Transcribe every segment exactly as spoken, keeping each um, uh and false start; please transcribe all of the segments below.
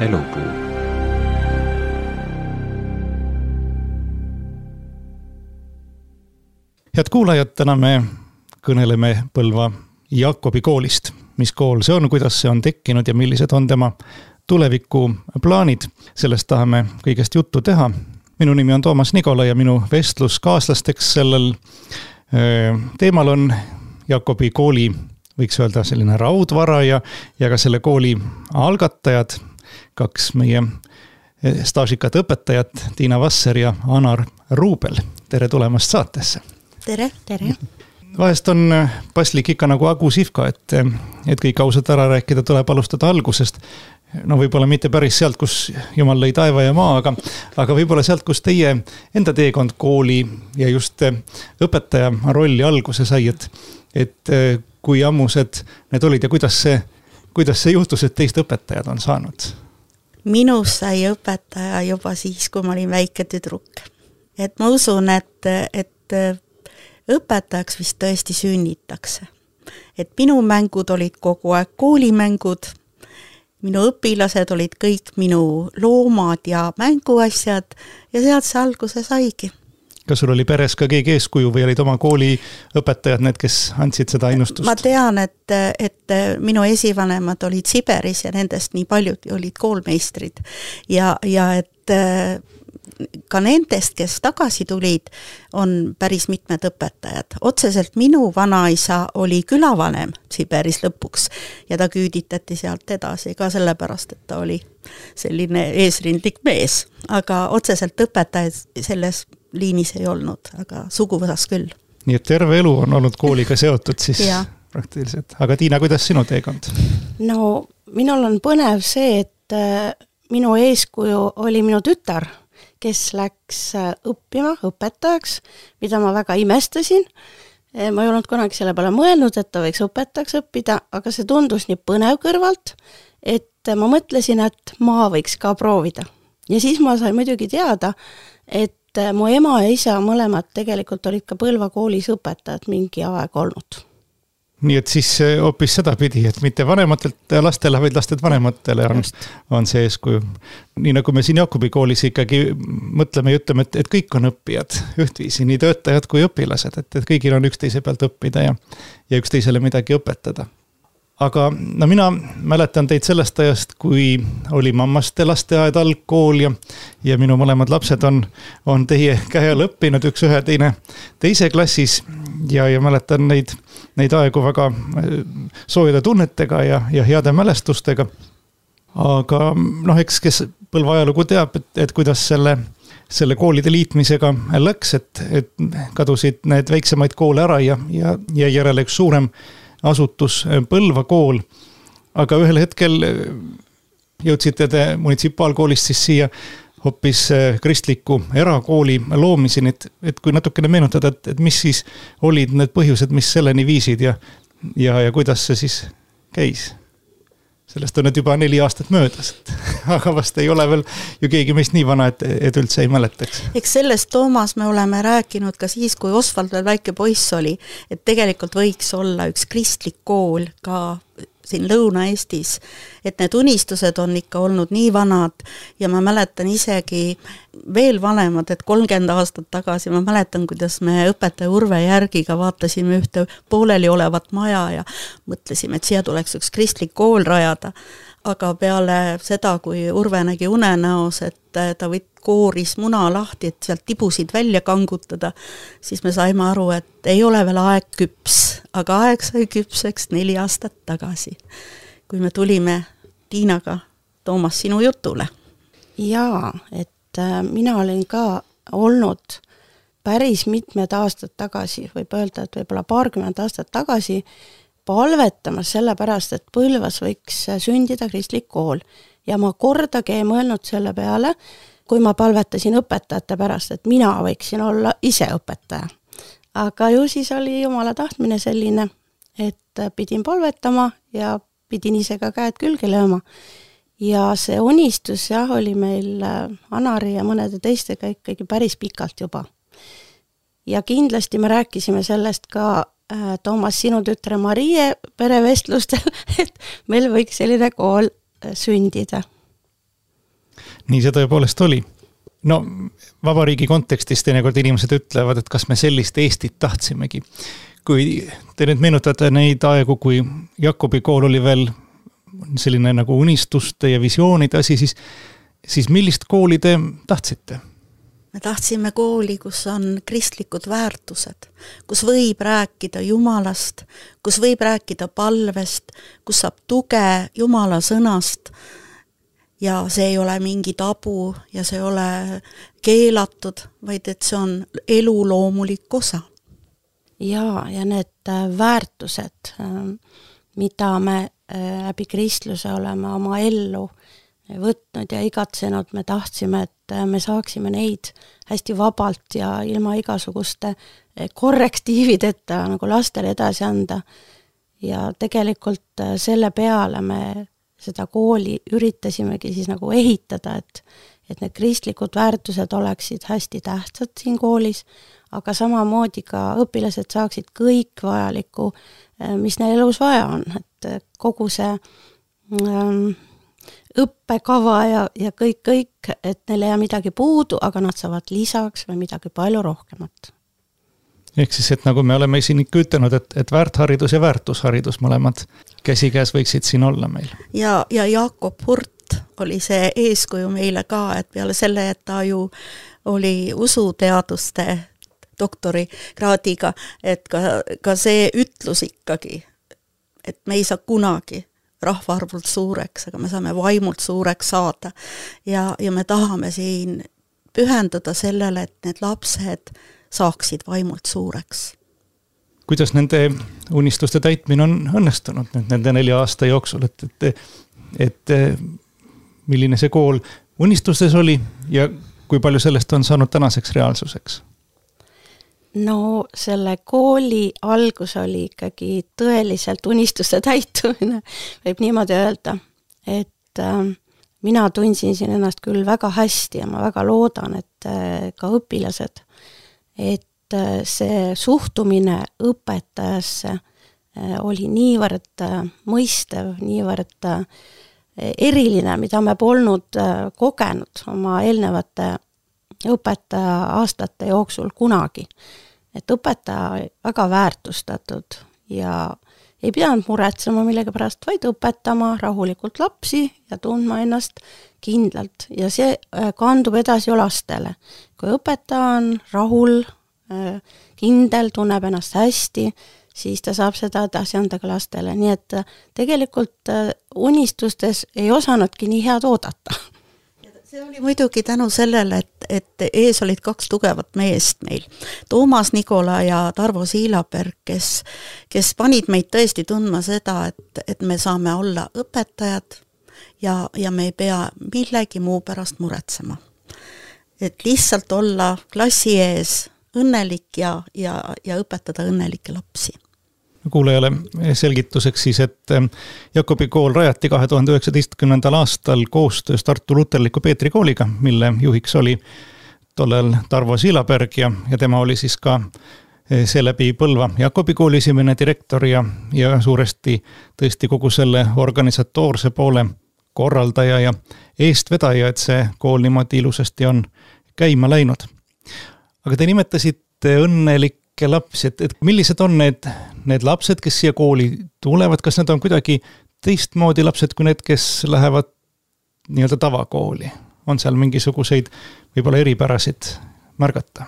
Elupuu. Head kuulajad, täna me kõneleme Põlva Jaakobi koolist. Mis kool see on, kuidas see on tekkinud ja millised on tema tulevikuplaanid. Sellest tahame kõigest juttu teha. Minu nimi on Toomas Nikola ja minu vestluskaaslasteks sellel teemal on Jaakobi kooli, võiks öelda selline raudvara ja, ja ka selle kooli algatajad, kaks meie staažikat õpetajat, Tiina Vasser ja Anar Ruubel. Tere tulemast saatesse. Tere, tere. Vahest on paslik ikka nagu Agu Sihvka, et, et kõik ausalt ära rääkida tuleb alustada algusest. No võib-olla mitte päris sealt, kus Jumal lõi taeva ja maa, aga, aga võib-olla sealt, kus teie enda teekond kooli ja just õpetaja rolli alguse sai, et, et kui ammused need olid ja kuidas see, kuidas see juhtus, et teist õpetajad on saanud? Minus sai õpetaja juba siis, kui ma olin väike tüdruk. Et ma usun, et, et õpetajaks vist tõesti sünnitakse. Et minu mängud olid kogu aeg koolimängud, minu õpilased olid kõik minu loomad ja mänguasjad ja sealt see alguse saigi. Kas sul oli peres ka keegi eeskuju või olid oma kooli õpetajad need, kes andsid seda innustust? Ma tean, et, et minu esivanemad olid Siberis ja nendest nii paljud olid koolmeistrid ja, ja et ka nendest, kes tagasi tulid, on päris mitmed õpetajad. Otseselt minu vanaisa oli külavanem Siberis lõpuks ja ta küüditati sealt edasi ka sellepärast, et ta oli selline eesrindlik mees. Aga otseselt õpetajaid selles liinis ei olnud, aga suguvõsas küll. Nii et terve elu on olnud kooliga seotud siis praktiliselt. Aga Tiina, kuidas sinu teekond? No, minul on põnev see, et minu eeskuju oli minu tütar, kes läks õppima õpetajaks, mida ma väga imestasin. Ma ei olnud kunagi selle peale mõelnud, et ta võiks õpetajaks õppida, aga see tundus nii põnev kõrvalt, et ma mõtlesin, et ma võiks ka proovida. Ja siis ma sain muidugi teada, et mu ema ja isa mõlemad tegelikult olid ka Põlva koolis õpetajad mingi aeg olnud. Nii et siis hoopis seda pidi, et mitte vanematelt lastele, vaid lasted vanematele on, on see eeskuju. Nii nagu me siin Jaakobi koolis ikkagi mõtleme ja ütleme, et, et kõik on õppijad ühtviisi, nii töötajad kui õpilased, et, et kõigil on üksteise pealt õppida ja, ja üksteisele midagi õpetada. Aga no mina mäletan teid sellest ajast, kui oli mammaste lasteaed algkool ja, ja minu mõlemad lapsed on, on teie käe all õppinud üks ühe teine teise klassis ja, ja mäletan neid, neid aegu väga soojade tunnetega ja, ja heade mälestustega. Aga noh, eks kes Põlva ajalugu teab, et, et kuidas selle, selle koolide liitmisega läks, et, et kadusid need väiksemaid koole ära ja, ja, ja järele üks suurem asutus Põlva kool, aga ühel hetkel jõudsite te munitsipaalkoolist siis siia hoopis kristliku erakooli loomiseni, et, et kui natukene meenutada, et, et mis siis olid need põhjused, mis selleni viisid ja, ja, ja kuidas see siis käis? Sellest on nüüd juba neli aastat möödas, aga vast ei ole veel ju keegi meist nii vana, et, et üldse ei mäletaks. Eks sellest, Toomas, me oleme rääkinud ka siis, kui Osvald veel väike poiss oli, et tegelikult võiks olla üks kristlik kool ka siin Lõuna-Eestis, et need unistused on ikka olnud nii vanad ja ma mäletan isegi veel vanemad, et kolmkümmend aastat tagasi ma mäletan, kuidas me õpetaja Urve Järgiga vaatasime ühte pooleli olevat maja ja mõtlesime, et siia tuleks üks kristlik kool rajada. Aga peale seda, kui Urve nägi unenäos, et ta võt kooris muna lahti, et sealt tibusid välja kangutada, siis me saime aru, et ei ole veel aeg küps, aga aeg sai küpseks neli aastat tagasi, kui me tulime Tiinaga, Toomas, sinu jutule. Jaa, et mina olin ka olnud päris mitmed aastad tagasi, võib öelda, et võib-olla paarkümmend aastat tagasi palvetamas sellepärast, et Põlvas võiks sündida kristlik kool. Ja ma kordagi ei mõelnud selle peale, kui ma palvetasin õpetajate pärast, et mina võiksin olla ise õpetaja. Aga ju siis oli Jumala tahtmine selline, et pidin palvetama ja pidin ise ka käed külge lööma. Ja see unistus jah, oli meil Anari ja mõnede teistega ikkagi päris pikalt juba. Ja kindlasti me rääkisime sellest ka Toomas, sinu tütre Marie perevestlustel, et meil võiks selline kool sündida. nii see tõepoolest oli. No vabariigi kontekstis teinekord inimesed ütlevad, et kas me sellist Eestit tahtsimegi. Kui te nüüd meenutate neid aegu, kui Jakobi kool oli veel selline nagu unistuste ja visioonide asi, siis, siis millist kooli te tahtsite? Me tahtsime kooli, kus on kristlikud väärtused, kus võib rääkida Jumalast, kus võib rääkida palvest, kus saab tuge Jumala sõnast ja see ei ole mingi tabu ja see ei ole keelatud, vaid et see on elu loomulik osa. Ja, ja need väärtused, mida me läbi kristluse oleme oma ellu võtnud ja igatsenud, me tahtsime, et me saaksime neid hästi vabalt ja ilma igasuguste korrektiivideta nagu lastele edasi anda. Ja tegelikult selle peale me seda kooli üritasimegi siis nagu ehitada, et, et need kristlikud väärtused oleksid hästi tähtsad siin koolis, aga samamoodi ka õpilased saaksid kõik vajalikku, mis neil elus vaja on, et kogu see ähm, õppekava ja, ja kõik, kõik, et neil ei jää midagi puudu, aga nad saavad lisaks või midagi palju rohkemat. Ehk siis, et nagu me oleme siin ikka ütelnud, et, et väärtharidus ja väärtusharidus mõlemad käsikäes võiksid siin olla meil. Ja, ja Jakob Hurt oli see eeskuju meile ka, et peale selle, et ta ju oli usuteaduste doktori kraadiga, et ka, ka see ütlus ikkagi, et me ei saa kunagi rahvaarvult suureks, aga me saame vaimult suureks saada. Ja, ja me tahame siin pühenduda sellele, et need lapsed saaksid vaimult suureks. Kuidas nende unistuste täitmine on õnnestunud nüüd nende nelja aasta jooksul, et, et, et milline see kool unistustes oli ja kui palju sellest on saanud tänaseks reaalsuseks? No selle kooli algus oli ikkagi tõeliselt unistuste täitumine, võib niimoodi öelda, et äh, mina tundsin siin ennast küll väga hästi ja ma väga loodan, et äh, ka õpilased, et äh, see suhtumine õpetajasse äh, oli niivõrd äh, mõistev, niivõrd äh, eriline, mida me polnud äh, kogenud oma eelnevate õpetaja aastate jooksul kunagi. Et õpetaja väga väärtustatud ja ei pidanud muretsema millega pärast, vaid õpetama rahulikult lapsi ja tundma ennast kindlalt. Ja see kandub edasi ju lastele. Kui õpetaja on rahul, kindel, tunneb ennast hästi, siis ta saab seda edasi anda ka lastele. Nii et tegelikult unistustes ei osanudki nii head oodata. See oli muidugi tänu sellele, et, et ees olid kaks tugevat meest meil. Toomas Nikola ja Tarvo Siilaberg, kes, kes panid meid tõesti tundma seda, et, et me saame olla õpetajad ja, ja me ei pea millegi muu pärast muretsema. Et lihtsalt olla klassi ees õnnelik ja, ja, ja õpetada õnnelikke lapsi. Kuulajale selgituseks siis, et Jakobi kool rajati kahe tuhande üheksateistkümnendal aastal koostöös Tartu Luterliku Peetri kooliga, mille juhiks oli tollel Tarvo Siilaberg ja, ja tema oli siis ka seeläbi Põlva Jakobi kooli esimene direktor ja, ja suuresti tõesti kogu selle organisatoorse poole korraldaja ja eestvedaja, et see kool niimoodi ilusasti on käima läinud. Aga te nimetasite õnnelik lapsi, et, et millised on need, need lapsed, kes siia kooli tulevad, kas need on kuidagi teistmoodi lapsed kui need, kes lähevad nii-öelda tavakooli? On seal mingisuguseid võib-olla eripärasid märgata?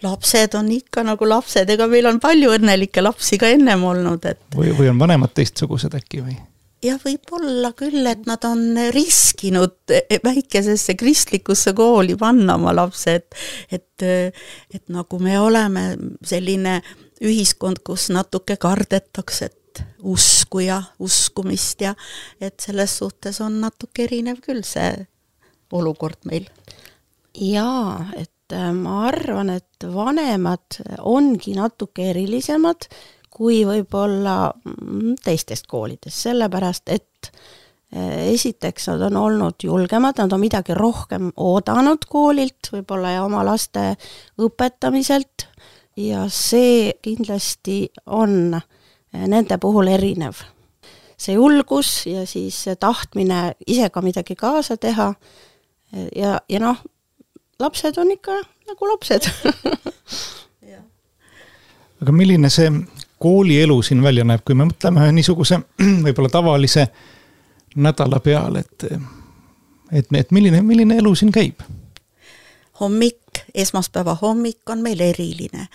Lapsed on ikka nagu lapsed, ega meil on palju õnnelikke lapsi ka ennem olnud. Et... Või, või on vanemad teistsugused äkki või? Ja võib olla küll, et nad on riskinud väikesesse kristlikusse kooli panna oma lapsed, et, et nagu me oleme selline ühiskond, kus natuke kardetakse, et usku ja uskumist ja et selles suhtes on natuke erinev küll see olukord meil. Jaa, et ma arvan, et vanemad ongi natuke erilisemad kui võib-olla teistest koolidest, sellepärast, et esiteks nad on olnud julgemad, nad on midagi rohkem oodanud koolilt, võib-olla ja oma laste õpetamiselt ja see kindlasti on nende puhul erinev. see julgus ja siis see tahtmine ise ka midagi kaasa teha ja, ja noh, lapsed on ikka nagu lapsed. Aga milline see koolielu siin välja näeb, kui me mõtleme niisuguse võib-olla tavalise nädala peale, et, et, et milline, milline elu siin käib? Hommik, esmaspäeva hommik on meil eriline.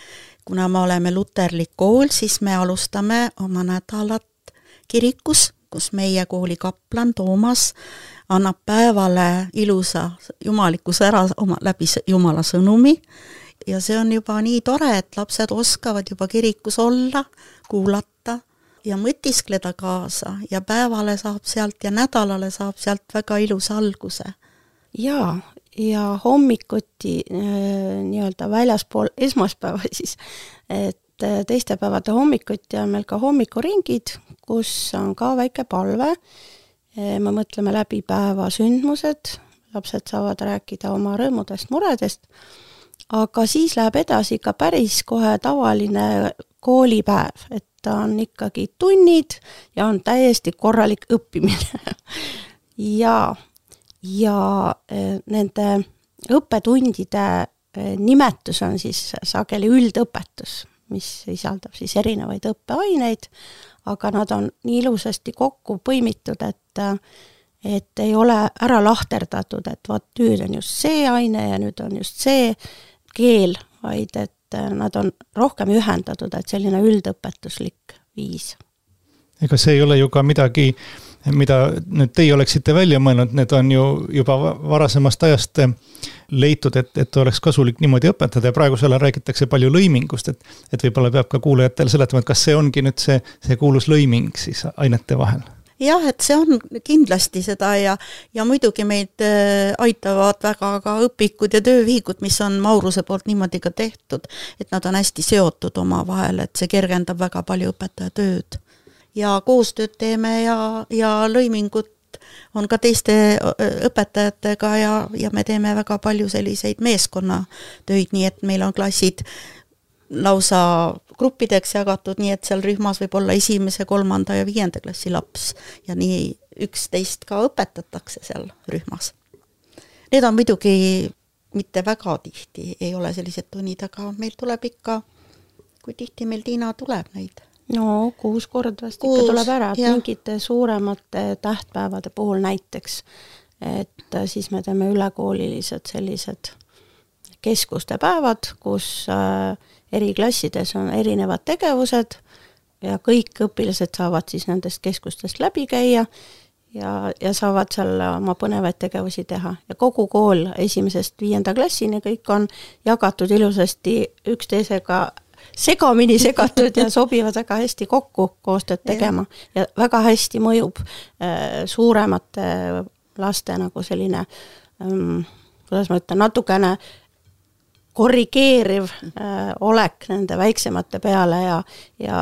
Kuna me oleme luterlik kool, siis me alustame oma nädalat kirikus, kus meie kooli kaplan Toomas annab päevale ilusa jumalikkuse ära oma, läbi Jumala sõnumi. Ja see on juba nii tore, et lapsed oskavad juba kirikus olla, kuulata ja mõtiskleda kaasa ja päevale saab sealt ja nädalale saab sealt väga ilus alguse. Jaa, ja hommikuti nii-öelda väljaspool esmaspäeva siis, et teiste päevade hommikuti on meil ka hommikuringid, kus on ka väike palve. Me mõtleme läbi päeva sündmused, lapsed saavad rääkida oma rõõmudest, muredest, aga siis läheb edasi ka päris kohe tavaline koolipäev, et ta on ikkagi tunnid ja on täiesti korralik õppimine. ja, ja nende õppetundide nimetus on siis sageli üldõpetus, mis sisaldab siis erinevaid õppeaineid, aga nad on nii ilusasti kokku põimitud, et et ei ole ära lahterdatud, et vaat nüüd on just see aine ja nüüd on just see keel, vaid et nad on rohkem ühendatud, et selline üldõpetuslik viis. Ega see ei ole ju ka midagi, mida nüüd teie oleksite välja mõelnud, need on ju juba varasemast ajast leitud, et, et oleks kasulik niimoodi õpetada ja praegusel räägitakse palju lõimingust, et, et võib-olla peab ka kuulajatele seletama, et kas see ongi nüüd see, see kuulus lõiming siis ainete vahel? Jah, et see on kindlasti seda ja, ja muidugi meid aitavad väga ka õpikud ja töövihikud, mis on Mauruse poolt niimoodi ka tehtud, et nad on hästi seotud oma vahel, et see kergendab väga palju õpetaja tööd. Ja koostööd teeme ja, ja lõimingut on ka teiste õpetajatega ja, ja me teeme väga palju selliseid meeskonnatöid, nii et meil on klassid lausa gruppideks jagatud, nii et seal rühmas võib olla esimese, kolmanda ja viienda klassi laps ja nii üksteist ka õpetatakse seal rühmas. Need on muidugi mitte väga tihti, ei ole sellised tunnid, aga meil tuleb ikka, kui tihti meil Tiina tuleb neid? No kuus korda vast ikka tuleb ära, et ja. Mingite suuremate tähtpäevade puhul näiteks, et siis me teeme ülekoolilised sellised keskuste päevad, kus eri klassides on erinevad tegevused ja kõik õpilased saavad siis nendest keskustest läbi käia ja, ja saavad seal oma põnevaid tegevusi teha. Ja kogu kool esimesest viienda klassini kõik on jagatud ilusasti üksteisega segamini segatud ja sobivad väga hästi kokku koostööd tegema ja väga hästi mõjub äh, suuremate laste nagu selline ähm, kuidas ma ütlen, natukene korrigeeriv äh, olek nende väiksemate peale ja, ja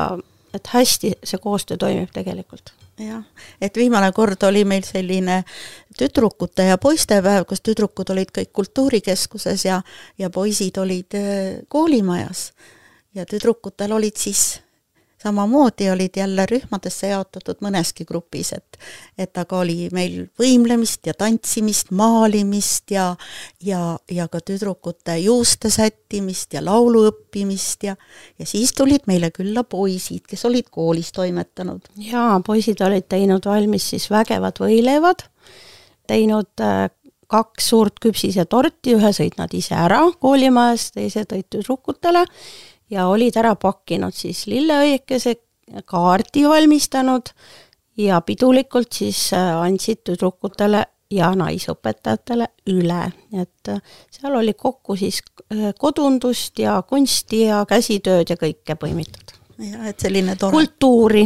et hästi see koostöö toimib tegelikult. Jah, et viimane kord oli meil selline tüdrukute ja poistepäev, kus tüdrukud olid kõik kultuurikeskuses ja, ja poisid olid äh, koolimajas ja tüdrukutel olid siis samamoodi olid jälle rühmadesse jaotatud mõneski grupis, et, et aga oli meil võimlemist ja tantsimist, maalimist ja, ja, ja ka tüdrukute juuste sättimist ja laulu õppimist ja, ja siis tulid meile külla poisid, kes olid koolis toimetanud. Jaa, poisid olid teinud valmis siis vägevad võileivad, teinud äh, kaks suurt küpsise torti, ühe sõid nad ise ära koolimajas, teise tõid tüdrukutele ja olid ära pakkinud siis lilleõiekese kaardi valmistanud ja pidulikult siis andsid tüdrukutele ja naisõpetajatele üle. Et seal oli kokku siis kodundust ja kunsti ja käsitööd ja kõike põimitud. Ja, et selline tore. Kultuuri.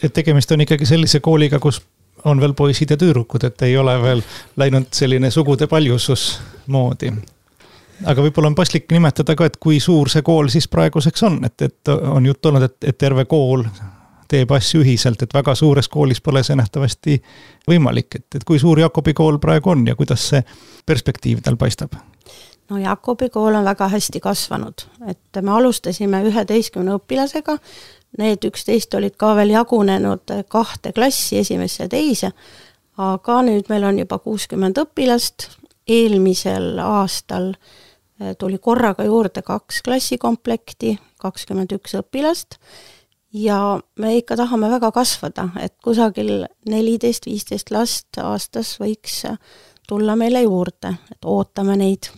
Et tegemist on ikkagi sellise kooliga, kus on veel poisid ja tüdrukud, et ei ole veel läinud selline sugude paljusus moodi. Aga võib-olla on paslik nimetada ka, et kui suur see kool siis praeguseks on, et, et on jutt olnud, et, et terve kool teeb asju ühiselt, et väga suures koolis pole see nähtavasti võimalik, et, et kui suur Jakobi kool praegu on ja kuidas see perspektiiv tal paistab? no Jakobi kool on väga hästi kasvanud, et me alustasime üheteistkümne õpilasega, need üksteist olid ka veel jagunenud kahte klassi, esimesse ja teise, aga nüüd meil on juba kuuskümmend õpilast, eelmisel aastal tuli korraga juurde kaks klassikomplekti, kakskümmend üks õpilast ja me ikka tahame väga kasvada, et kusagil neliteist viisteist last aastas võiks tulla meile juurde, et ootame neid.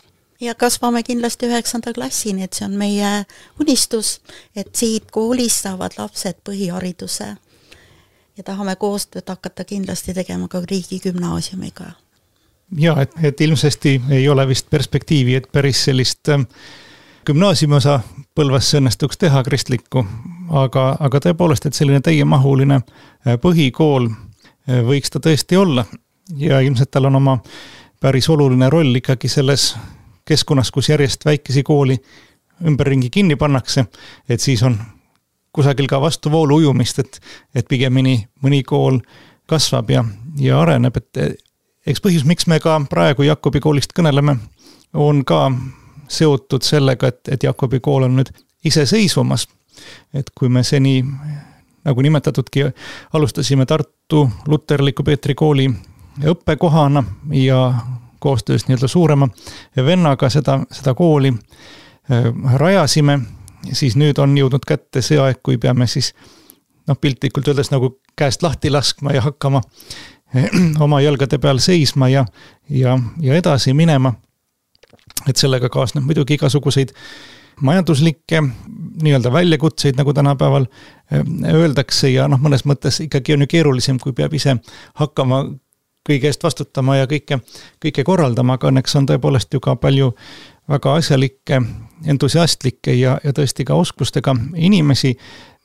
Ja kasvame kindlasti üheksanda klassini, et see on meie unistus, et siit koolis saavad lapsed põhihariduse ja tahame koostööd hakata kindlasti tegema ka riigigümnaasiumiga. Ja, et, et ilmsesti ei ole vist perspektiivi, et päris sellist gümnaasiumiosa Põlvasse õnnestuks teha kristlikku, aga, aga tõepoolest, et selline täiemahuline põhikool võiks ta tõesti olla ja ilmselt tal on oma päris oluline roll ikkagi selles keskkonnas, kus järjest väikesi kooli ümberringi kinni pannakse, et siis on kusagil ka vastuvoolu ujumist, et, et pigemini mõni kool kasvab ja, ja areneb, et eks põhjus, miks me ka praegu Jakobi koolist kõneleme, on ka seotud sellega, et, et Jakobi kool on nüüd iseseisvumas. Et kui me seni, nagu nimetatudki, alustasime Tartu Luterliku Peetri kooli õppekohana ja koostöös nii-öelda suurema vennaga seda, seda kooli rajasime, siis nüüd on jõudnud kätte see aeg, kui peame siis noh, piltlikult öeldes nagu käest lahti laskma ja hakkama oma jalgade peal seisma ja, ja, ja edasi minema. Et sellega kaasneb muidugi igasuguseid majanduslikke nii-öelda väljakutseid, nagu tänapäeval öeldakse ja noh, mõnes mõttes ikkagi on ju keerulisem, kui peab ise hakkama kõige eest vastutama ja kõike, kõike korraldama, aga õnneks on tõepoolest ju ka palju väga asjalikke, entusiastlikke ja, ja tõesti ka oskustega inimesi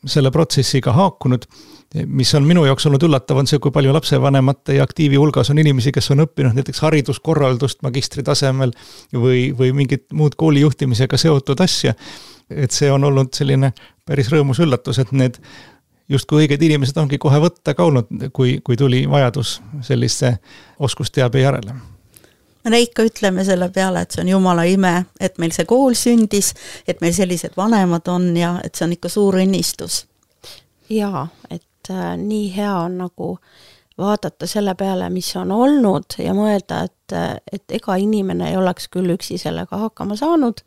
selle protsessiga haakunud, mis on minu jaoks olnud üllatav, on see, kui palju lapsevanemate ja aktiivi hulgas on inimesi, kes on õppinud näiteks hariduskorraldust magistri tasemel või, või mingit muud koolijuhtimisega seotud asja. Et see on olnud selline päris rõõmus üllatus, et need justkui õiged inimesed ongi kohe võtta ka olnud, kui, kui tuli vajadus sellise oskusteabe järele. Me ikka ütleme selle peale, et see on jumala ime, et meil see kool sündis, et meil sellised vanemad on ja et see on ikka suur õnnistus. Jaa, et äh, nii hea on nagu vaadata selle peale, mis on olnud ja mõelda, et, et ega inimene ei oleks küll üksi sellega hakkama saanud,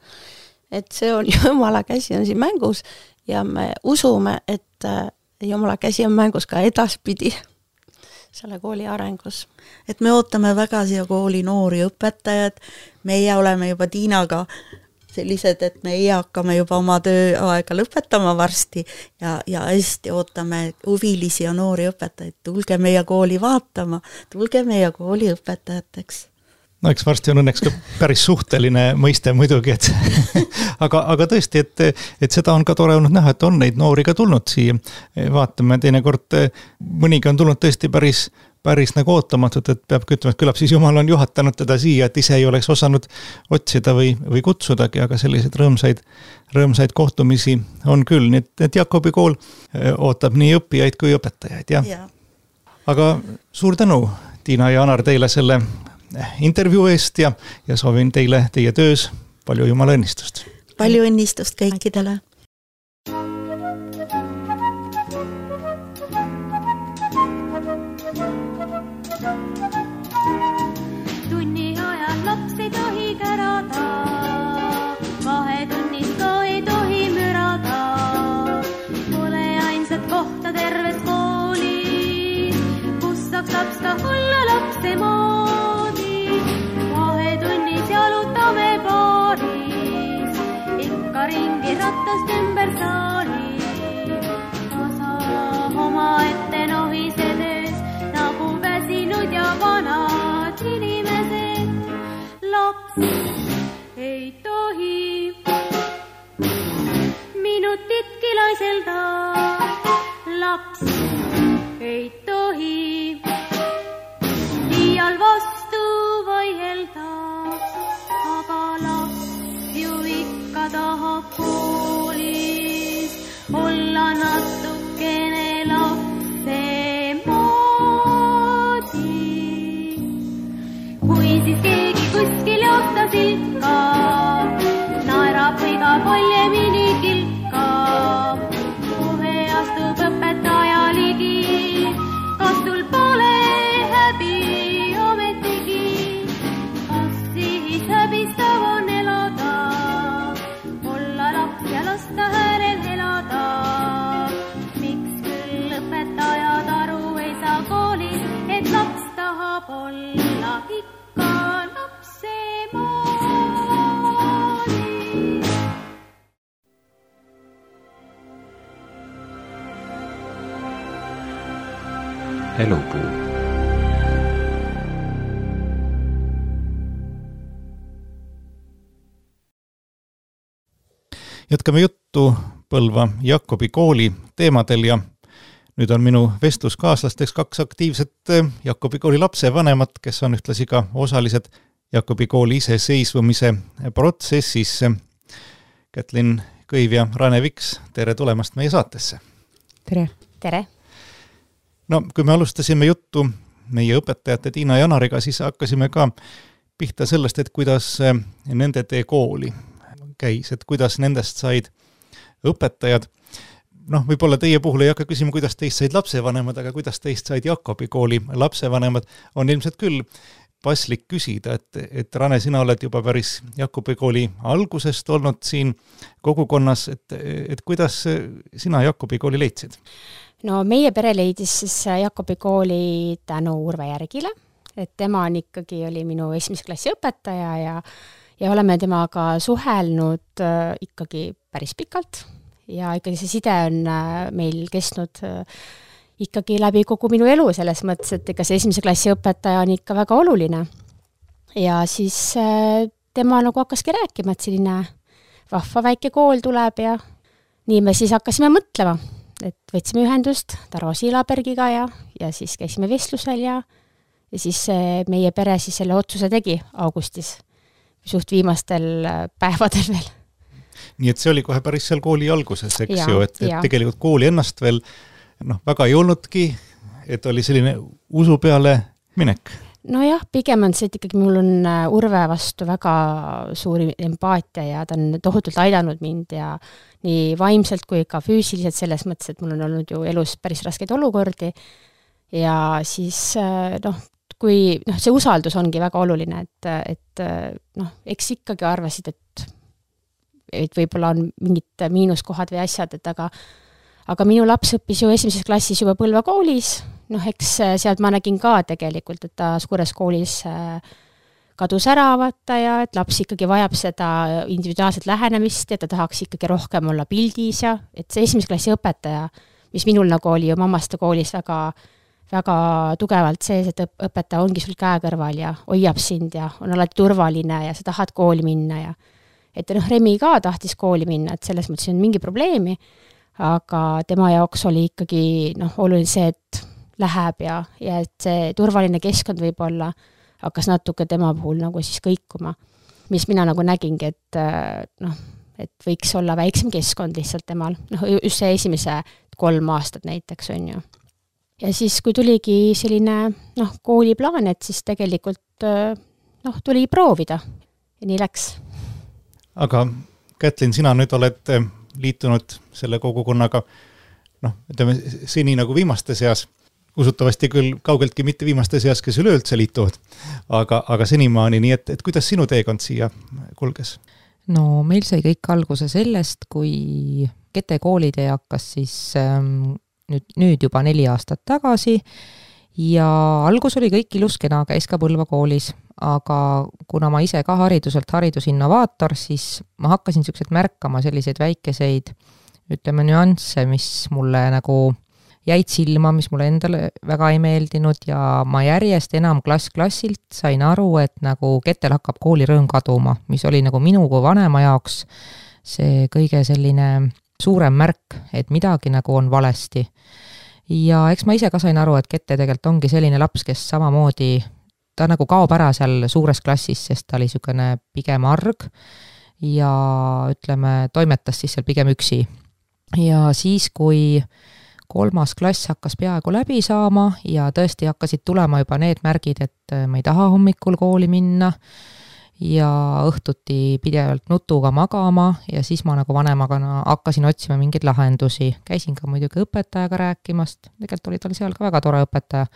et see on jumala käsi on siin mängus ja me usume, et äh, jumala käsi on mängus ka edaspidi selle kooli arengus. Et me ootame väga siia kooli noori õpetajad, meie oleme juba Tiinaga sellised, et meie hakkame juba oma tööaega lõpetama varsti ja, ja hästi ootame huvilisi ja noori õpetajaid, tulge meie kooli vaatama, tulge meie kooli õpetajateks. No eks varsti on õnneks ka päris suhteline mõiste muidugi, et aga, aga tõesti, et, et seda on ka tore olnud näha, et on neid noori ka tulnud siia. Vaatame teinekord, mõnigi on tulnud tõesti päris, päris nagu ootamatult, et peab ütlema, et küllap siis Jumal on juhatanud teda siia, et ise ei oleks osanud otsida või, või kutsudagi, aga selliseid rõõmsaid, rõõmsaid kohtumisi on küll. Nii et, et Jakobi kool ootab nii õppijaid kui õpetajaid. Ja. Ja. Aga suur tänu, Tiina ja Anar, teile selle intervjuu eest ja, ja soovin teile teie töös palju jumala õnnistust. Palju õnnistust kõikidele. Tunni ajal laps ei tohi kärada, vahetunnis ka ei tohi mürada. Pole ainsat kohta terves koolis, kus saaks laps ka olla lapse moodi. Jalutame paaris, ikka ringi rattast ümber saali. Osa oma ette nohisedes, nagu väsinud ja vanad inimesed. Laps ei tohi minutitki laiselda. Laps ei tohi iial vastu vaielda. Aga laps ju ikka tahab koolis olla natukene lapse moodi. Kui siis keegi kuskil jooktas ikka valjemini kilkab. Kohe astub õpetaja ligi, kas sul pole häbi ometigi? Kas siis häbistav on elada, olla laps ja lasta häälel elada? Miks küll õpetajad aru ei saa koolis, et laps tahab olla ikka lapsemaali? Elupuu. Jätkame juttu Põlva Jakobi kooli teemadel ja nüüd on minu vestluskaaslasteks kaks aktiivset Jakobi kooli lapsevanemat, kes on ühtlasi ka osalised Jakobi kooli iseseisvumise protsessis. Kätlin Kõiv ja Rane Viks, tere tulemast meie saatesse. Tere. Tere. No, kui me alustasime juttu meie õpetajate Tiina Janariga, siis hakkasime ka pihta sellest, et kuidas nende tee kooli käis, et kuidas nendest said õpetajad. Noh, võib-olla teie puhul ei hakka küsima, kuidas teist said lapsevanemad, aga kuidas teist said Jakobi kooli lapsevanemad, on ilmselt küll paslik küsida, et, et Rane, sina oled juba päris Jakobi kooli algusest olnud siin kogukonnas, et, et kuidas sina Jakobi kooli leidsid? No meie pere leidis siis Jakobi kooli tänu Urve Järgile, et tema on ikkagi oli minu esimese klassi õpetaja ja, ja oleme temaga suhelnud äh, ikkagi päris pikalt ja ikkagi see side on äh, meil kestnud äh, ikkagi läbi kogu minu elu selles mõttes, et ega see esimese klassi õpetaja on ikka väga oluline. Ja siis äh, tema nagu hakkaski rääkima, et selline vahva väike kool tuleb ja nii me siis hakkasime mõtlema, et võtsime ühendust Taro Siilabergiga ja, ja siis käisime vestlusel ja, ja siis meie pere siis selle otsuse tegi augustis, suht viimastel päevadel veel. Nii et see oli kohe päris seal kooli alguses, eks ja, ju, et, et tegelikult kooli ennast veel noh, väga ei olnudki, et oli selline usu peale minek. No jah, pigem on see, et ikkagi mul on Urve vastu väga suuri empaatia ja ta on tohutult aidanud mind ja nii vaimselt kui ka füüsiliselt selles mõttes, et mul on olnud ju elus päris raskeid olukordi ja siis noh, kui noh, see usaldus ongi väga oluline, et, et noh, eks ikkagi arvasid, et, et võib-olla on mingid miinuskohad või asjad, et aga aga minu laps õppis ju esimeses klassis juba Põlva koolis, noh eks sealt ma nägin ka tegelikult, et ta suures koolis kadus ära vaata ja et laps ikkagi vajab seda individuaalset lähenemist ja ta tahaks ikkagi rohkem olla pildis ja et see esimese klassi õpetaja, mis minul nagu oli ju mammaste koolis väga, väga tugevalt sees, et õpetaja ongi sul käe kõrval ja hoiab sind ja on alati turvaline ja sa tahad kooli minna ja et noh, Remi ka tahtis kooli minna, et selles mõttes on mingi probleemi, aga tema jaoks oli ikkagi noh, oluline see, et läheb ja, ja et see turvaline keskkond võib-olla hakkas natuke tema puhul nagu siis kõikuma, mis mina nagu nägingi, et noh, et võiks olla väiksem keskkond lihtsalt temal, noh just see esimese kolm aastat näiteks on ju. Ja siis, kui tuligi selline noh, kooliplaan, et siis tegelikult noh, tuli proovida ja nii läks. Aga Kätlin, sina nüüd oled liitunud selle kogukonnaga, noh, ütleme, seni nagu viimaste seas, usutavasti küll kaugeltki mitte viimaste seas, kes üleüldse liituvad, aga, aga senimaani, nii et, et kuidas sinu teekond siia kulges? No meil sai kõik alguse sellest, kui Kete koolide hakkas siis ähm, nüüd, nüüd juba neli aastat tagasi ja algus oli kõik ilus kena, käis ka Põlva koolis, aga kuna ma ise ka hariduselt haridusinnovaator, siis ma hakkasin selliseid märkama selliseid väikeseid, ütleme, nüansse, mis mulle nagu jäid silma, mis mulle endale väga ei meeldinud ja ma järjest enam klass-klassilt sain aru, et nagu Ketel hakkab koolirõõm kaduma, mis oli nagu minu kui vanema jaoks see kõige selline suurem märk, et midagi nagu on valesti. Ja eks ma ise ka sain aru, et Kete tegelikult ongi selline laps, kes samamoodi ta nagu kaob ära seal suures klassis, sest ta oli niisugune pigem arg ja ütleme, toimetas siis seal pigem üksi. Ja siis, kui kolmas klass hakkas peaaegu läbi saama ja tõesti hakkasid tulema juba need märgid, et ma ei taha hommikul kooli minna ja õhtuti pidevalt nutuga magama ja siis ma nagu vanemaga hakkasin otsima mingeid lahendusi. Käisin ka muidugi õpetajaga rääkimast, tegelikult oli tal seal ka väga tore õpetaja.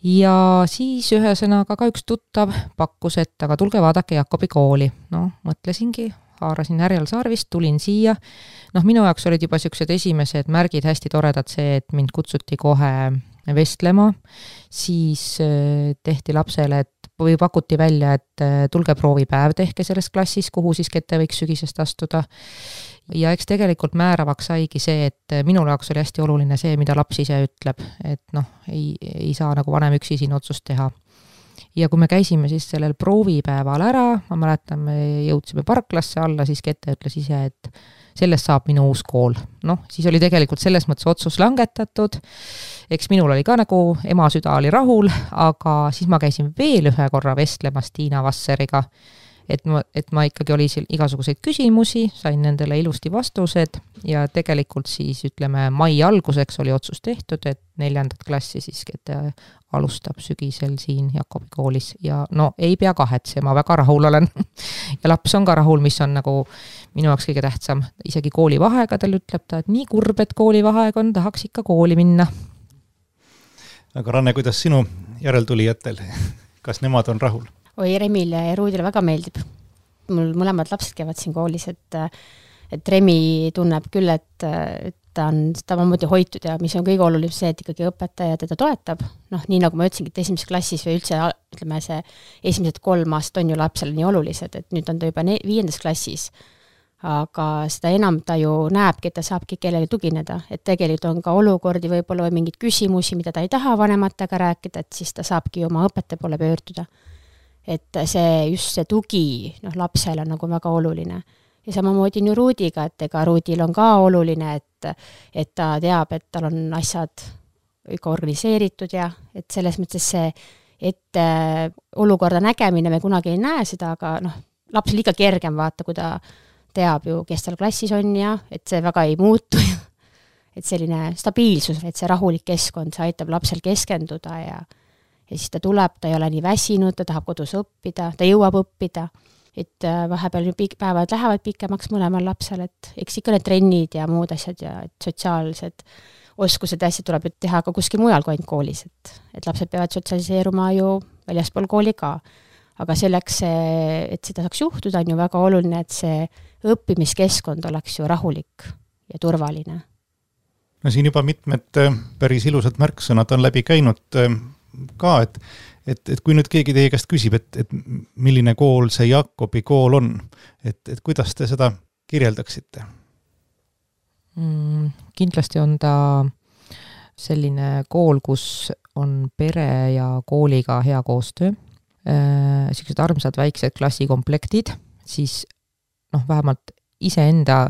Ja siis ühesõnaga ka üks tuttav pakkus, et aga tulge vaadake Jakobi kooli. No, mõtlesingi, haarasin härjal sarvist, tulin siia. Noh, minu jaoks olid juba sellised esimesed märgid hästi toredad see, et mind kutsuti kohe vestlema, siis tehti lapsele, et või pakuti välja, et tulge proovipäev tehke selles klassis, kuhu siis Kete võiks sügisest astuda. Ja eks tegelikult määravaks saigi see, et minul jaoks oli hästi oluline see, mida laps ise ütleb, et noh, ei, ei saa nagu vanem üksi siin otsust teha. Ja kui me käisime siis sellel proovipäeval ära, ma mäletan, me jõudsime parklasse alla, siis Kete ütles ise, et sellest saab minu uus kool. Noh, siis oli tegelikult selles mõttes otsus langetatud. Eks minul oli ka nagu ema süda oli rahul, aga siis ma käisin veel ühe korra vestlemas Tiina Vasseriga, et ma, et ma ikkagi oli seal igasuguseid küsimusi, sain nendele ilusti vastused ja tegelikult siis ütleme mai alguseks oli otsus tehtud, et neljandat klassi siis Kete alustab sügisel siin Jakobi koolis ja no ei pea kahetsema, väga rahul olen. Ja laps on ka rahul, mis on nagu minu jaoks kõige tähtsam. Isegi koolivaheaegadel ütleb ta, et nii kurb, et koolivaheaeg on, tahaks ikka kooli minna. Aga Ranne, kuidas sinu järeltulijatel? Kas nemad on rahul? Oi, Remile ja Ruudile väga meeldib. Mul mõlemad lapsed käivad siin koolis, et, et Remi tunneb küll, et, et ta on samamoodi hoitud ja mis on kõige oluline see, et ikkagi õpetaja teda toetab. Noh, nii nagu ma ütlesingi, et esimeses klassis või üldse, ütleme, see esimesed kolm aastat on ju lapsele nii olulised, et nüüd on ta juba ne- viiendas klassis. Aga seda enam ta ju näebki, et ta saabki kellele tugineda, et tegelikult on ka olukordi võib-olla või mingid küsimusi, mida ta ei taha vanematega rääkida, et siis ta saabki oma õpetaja poole pöörduda. Et see, just see tugi noh, lapsele on nagu väga oluline. Ja samamoodi nii Ruudiga, et ega Ruudil on ka oluline, et, et ta teab, et tal on asjad ikka organiseeritud ja et selles mõttes see, et olukorda nägemine me kunagi ei näe seda, aga noh, laps liiga kergem vaata, kui ta teab ju, kes tal klassis on ja et see väga ei muutu. Et selline stabiilsus, et see rahulik keskkond, see aitab lapsel keskenduda ja, ja siis ta tuleb, ta ei ole nii väsinud, ta tahab kodus õppida, ta jõuab õppida. Et vahepeal pik- päevad lähevad pikemaks mõlemal lapsel, et eks ikka need trennid ja muud asjad ja et sotsiaalsed oskused ja asjad tuleb teha ka kuskil mujal kui ainult koolis, et, et lapsed peavad sotsialiseeruma ju väljaspool kooli ka. Aga selleks, et seda saaks juhtuda, on ju väga oluline, et see õppimiskeskkond oleks ju rahulik ja turvaline. No siin juba mitmed päris ilusad märksõnad on läbi käinud ka, et Et, et kui nüüd keegi teie käest küsib, et, et milline kool see Jakobi kool on, et, et kuidas te seda kirjeldaksite? Mm, kindlasti on ta selline kool, kus on pere ja kooliga hea koostöö. Äh, sellised armsad väiksed klassikomplektid, siis noh, vähemalt iseenda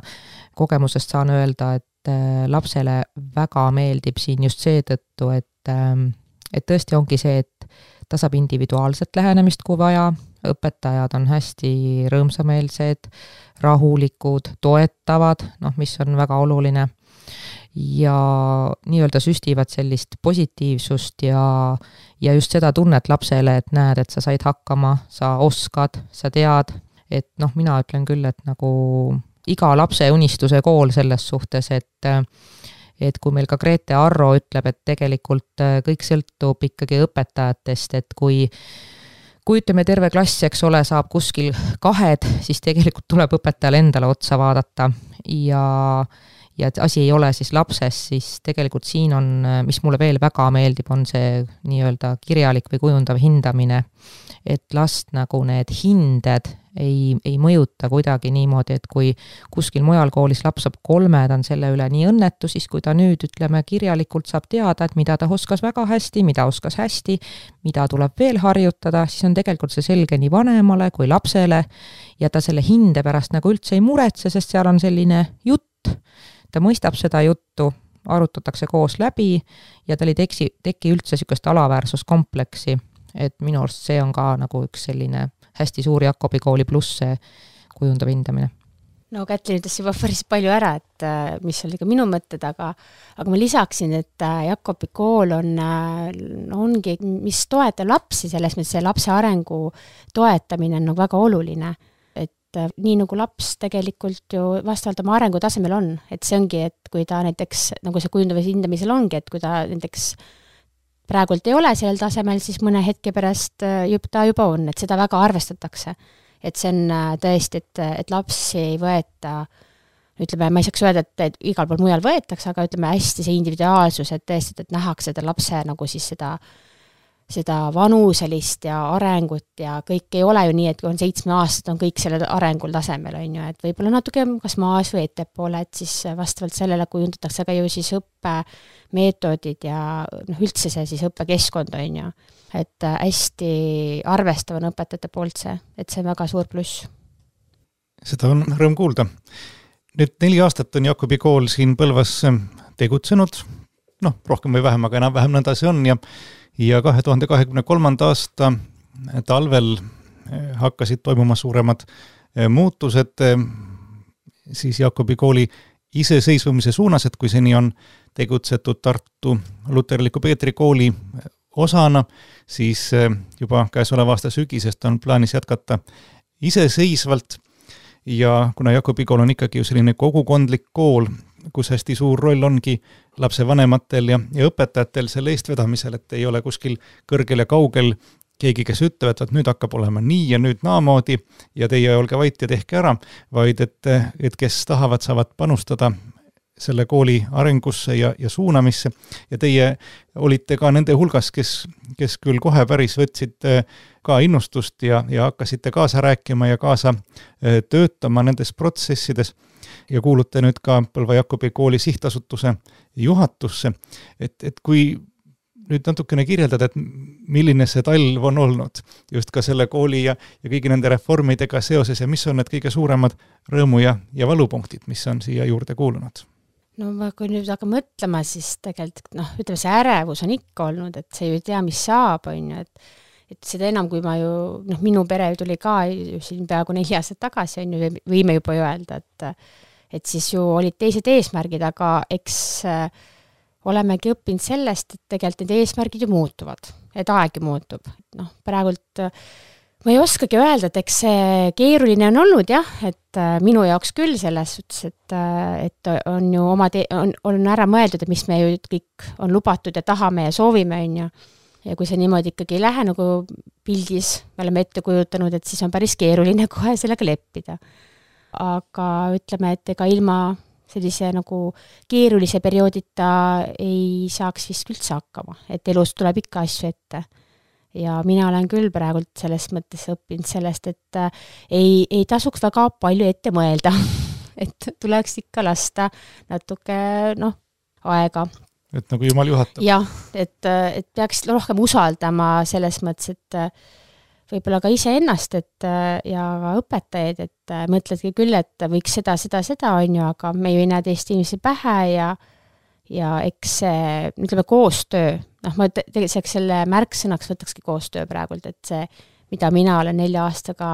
kogemusest saan öelda, et äh, lapsele väga meeldib siin just seetõttu, et, äh, et tõesti ongi see, et ta saab individuaalset lähenemist, kui vaja, õpetajad on hästi rõõmsameelsed, rahulikud, toetavad, noh, mis on väga oluline, ja nii-öelda süstivad sellist positiivsust ja, ja just seda tunnet lapsele, et näed, et sa said hakkama, sa oskad, sa tead, et noh, mina ütlen küll, et nagu iga lapse unistuse kool selles suhtes, et et kui meil ka Grete Arro ütleb, et tegelikult kõik sõltub ikkagi õpetajatest, et kui, kui ütleme terve klass, eks ole, saab kuskil kahed, siis tegelikult tuleb õpetajale endale otsa vaadata ja, ja et asi ei ole siis lapses, siis tegelikult siin on, mis mulle veel väga meeldib, on see nii-öelda kirjalik või kujundav hindamine, et last nagu need hinded ei, ei mõjuta kuidagi niimoodi, et kui kuskil mujal koolis laps saab kolme, ta on selle üle nii õnnetu, siis kui ta nüüd, ütleme, kirjalikult saab teada, et mida ta oskas väga hästi, mida oskas hästi, mida tuleb veel harjutada, siis on tegelikult see selge nii vanemale kui lapsele ja ta selle hinde pärast nagu üldse ei muretse, sest seal on selline jutt, ta mõistab seda juttu, arutatakse koos läbi ja tal ei teki, teki üldse sükest alaväärsuskompleksi, et minu arust see on ka nagu üks selline hästi suur Jakobi kooli pluss see kujundav hindamine. no Kätlin ütles juba päris palju ära, et mis oli ka minu mõtted, aga, aga ma lisaksin, et Jakobi kool on, ongi, mis toetab lapsi, selles mõttes see lapse arengu toetamine on nagu väga oluline. Et nii nagu laps tegelikult ju vastavalt oma arengutasemel on, et see ongi, et kui ta näiteks, nagu see kujundavas hindamisel ongi, et kui ta näiteks praegult ei ole sellel tasemel, siis mõne hetke pärast juba, ta juba on, et seda väga arvestatakse. Et see on tõesti, et, et lapsi ei võeta, ütleme, ma ei saaks öelda, et, et igal pool mujal võetakse, aga ütleme hästi see individuaalsus, et tõesti, et nähakse seda lapse nagu siis seda, seda vanuselist ja arengut ja kõik ei ole ju nii, et kui on seitsme aastat, on kõik selle arengul tasemel, on ju, et võib-olla natuke kas maas või ettepoole, et siis vastavalt sellele kujundatakse ka ju siis õppemeetodid ja noh, üldse see siis õppekeskkond, on ju. Et hästi arvestavan õpetajate poolt see, et see on väga suur pluss. Seda on rõõm kuulda. Nüüd neli aastat on Jakobi kool siin Põlvas tegutsenud, noh, rohkem või vähem, aga enam vähem nõnda see on ja, ja kahe tuhande kahekümne kolmanda aasta talvel hakkasid toimuma suuremad muutused siis Jakobi kooli iseseisvumise suunas, et kui seni on tegutsetud Tartu Luterliku Peetri kooli osana, siis juba käesoleva aasta sügisest on plaanis jätkata iseseisvalt ja kuna Jakobi kool on ikkagi ju selline kogukondlik kool, kus hästi suur roll ongi lapsevanematel ja, ja õpetajatel selle eestvedamisel, et ei ole kuskil kõrgel ja kaugel keegi, kes ütlevad, et nüüd hakkab olema nii ja nüüd naamoodi ja teie olge vait ja tehke ära, vaid et, et kes tahavad, saavad panustada selle kooli arengusse ja, ja suunamisse ja teie olite ka nende hulgas, kes, kes küll kohe päris võtsid ka innustust ja, ja hakkasite kaasa rääkima ja kaasa töötama nendes protsessides ja kuulute nüüd ka Põlva Jakobi kooli sihtasutuse juhatusse, et, et kui nüüd natukene kirjeldada, et milline see talv on olnud just ka selle kooli ja, ja kõigi nende reformidega seoses ja mis on need kõige suuremad rõõmu ja, ja valupunktid, mis on siia juurde kuulunud? No kui nüüd aga mõtlema, siis tegelikult noh, ütleme see ärevus on ikka olnud, et see ju ei tea, mis saab, on ju, et, et seda enam, kui ma ju, noh, minu pere tuli ka ju siin peaaegu neli aastat tagasi, on ju, võime juba öelda, et, et siis ju olid teised eesmärgid, aga eks äh, olemegi õppinud sellest, et tegelikult need eesmärgid ju muutuvad, et aeg ju muutub. Noh, praegult äh, ma ei oskagi öelda, et eks see keeruline on olnud jah, et minu jaoks küll selles suhtes, et, et on ju oma te- on, on ära mõeldud, et mis me ju kõik on lubatud ja tahame ja soovime, on ju. Ja kui see niimoodi ikkagi ei lähe nagu pildis, me oleme ette kujutanud, et siis on päris keeruline kohe sellega leppida. Aga ütleme, et ega ilma sellise nagu keerulise perioodita ei saaks vist üldse hakkama, et elus tuleb ikka asju ette. Ja mina olen küll praegult selles mõttes õppinud sellest, et äh, ei, ei tasuks väga palju ette mõelda, et tuleks ikka lasta natuke noh, aega. Et nagu Jumal juhatab. Jah, et, et peaks rohkem usaldama selles mõttes, et võib-olla ka ise ennast et, ja ka õpetajaid, et mõtledki küll, et võiks seda, seda, seda on ju, aga me ju ei näe teist inimesi pähe ja ja eks see, ütleme, koostöö, noh, ma tegelikult selle märksõnaks võtakski koostöö praegult, et see, mida mina olen nelja aastaga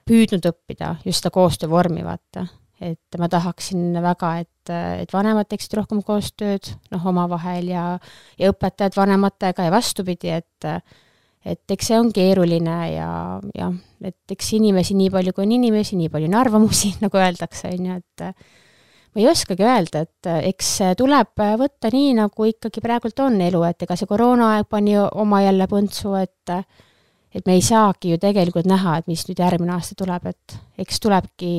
püüdnud õppida, just seda koostöö vormi vaata, et ma tahaksin väga, et, et vanemad teeksid rohkem koostööd, noh, omavahel ja, ja õpetajad vanematega ja vastupidi, et, et eks see on keeruline ja, ja et eks inimesi nii palju, kui on inimesi, nii palju on arvamusi, nagu öeldakse, on ju, et ma ei oskagi öelda, et eks tuleb võtta nii, nagu ikkagi praegult on elu, et ega see koroonaaeg pani oma jälle põntsu, et, et me ei saagi ju tegelikult näha, et mis nüüd järgmine aasta tuleb, et eks tulebki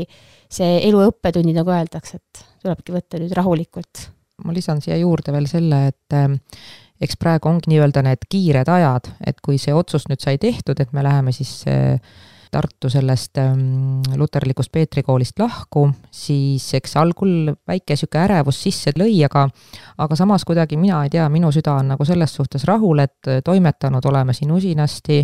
see elu õppetunni, nagu öeldakse, et tulebki võtta nüüd rahulikult. Ma lisan siia juurde veel selle, et eks praegu ongi nii-öelda need kiired ajad, et kui see otsus nüüd sai tehtud, et me läheme siis Tartu sellest luterlikust Peetri koolist lahku, siis eks algul väike süke ärevus sisse lõi, aga, aga samas kuidagi mina ei tea, minu süda on nagu selles suhtes rahul, et toimetanud oleme siin usinasti,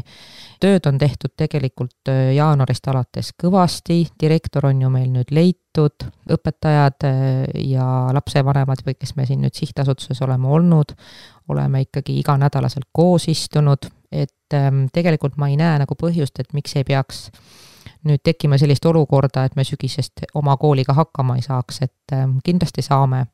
tööd on tehtud tegelikult jaanuarist alates kõvasti, direktor on ju meil nüüd leitud, õpetajad ja lapsevanemad, või kes me siin nüüd sihtasutuses oleme olnud, oleme ikkagi iganädalaselt koos istunud, et tegelikult ma ei näe nagu põhjust, et miks ei peaks nüüd tekime sellist olukorda, et me sügisest oma kooliga hakkama ei saaks, et kindlasti saame.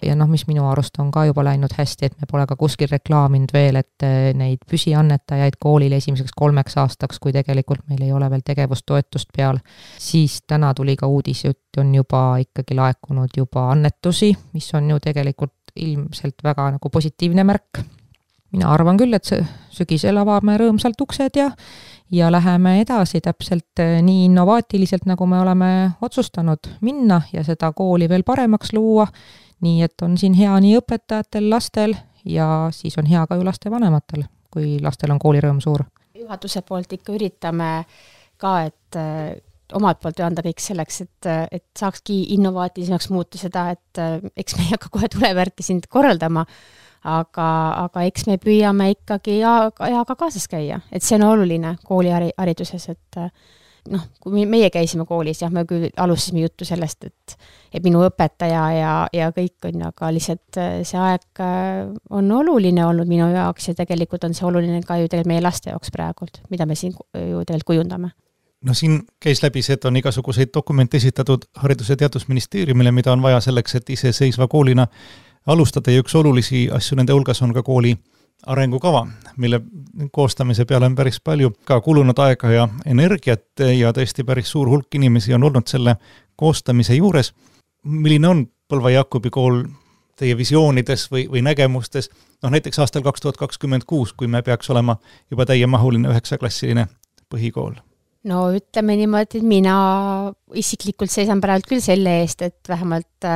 Ja noh, mis minu arust on ka juba läinud hästi, et me pole ka kuskil reklaaminud veel, et neid püsiannetajaid koolile esimeseks kolmeks aastaks, kui tegelikult meil ei ole veel tegevustoetust peal, siis täna tuli ka uudis, et on juba ikkagi laekunud juba annetusi, mis on ju tegelikult ilmselt väga nagu positiivne märk. Mina arvan küll, et sügisel avame rõõmsalt uksed ja ja läheme edasi täpselt nii innovaatiliselt, nagu me oleme otsustanud minna ja seda kooli veel paremaks luua, nii et on siin hea nii õpetajatel, lastel ja siis on hea ka ju laste vanematel, kui lastel on koolirõõm suur. Juhatuse poolt ikka üritame ka, et omalt poolt anda kõik selleks, et, et saakski innovaatilisemaks muuta seda, et eks me ei hakka kohe tulevärki sind korraldama, aga, aga eks me püüame ikkagi ajaga kaasas käia, et see on oluline koolihariduses, et noh, kui meie käisime koolis, jah, me küll alustasime juttu sellest, et, et minu õpetaja ja, ja kõik on, aga lihtsalt see aeg on oluline olnud minu jaoks ja tegelikult on see oluline ka ju tegelikult meie laste jaoks praegult, mida me siin ju tegelikult kujundame. No siin käis läbi see, et on igasuguseid dokumente esitatud Haridus- ja Teadusministeeriumile, mida on vaja selleks, et iseseisva koolina alustada ja üks olulisi asju nende hulgas on ka kooli arengukava, mille koostamise peale on päris palju ka kulunud aega ja energiat ja tõesti päris suur hulk inimesi on olnud selle koostamise juures. Milline on Põlva Jakobi kool teie visioonides või, või nägemustes, noh näiteks aastal kaks tuhat kakskümmend kuus, kui me peaks olema juba täiemahuline üheksaklassiline põhikool? No ütleme niimoodi, et mina isiklikult seisan praegu küll selle eest, et vähemalt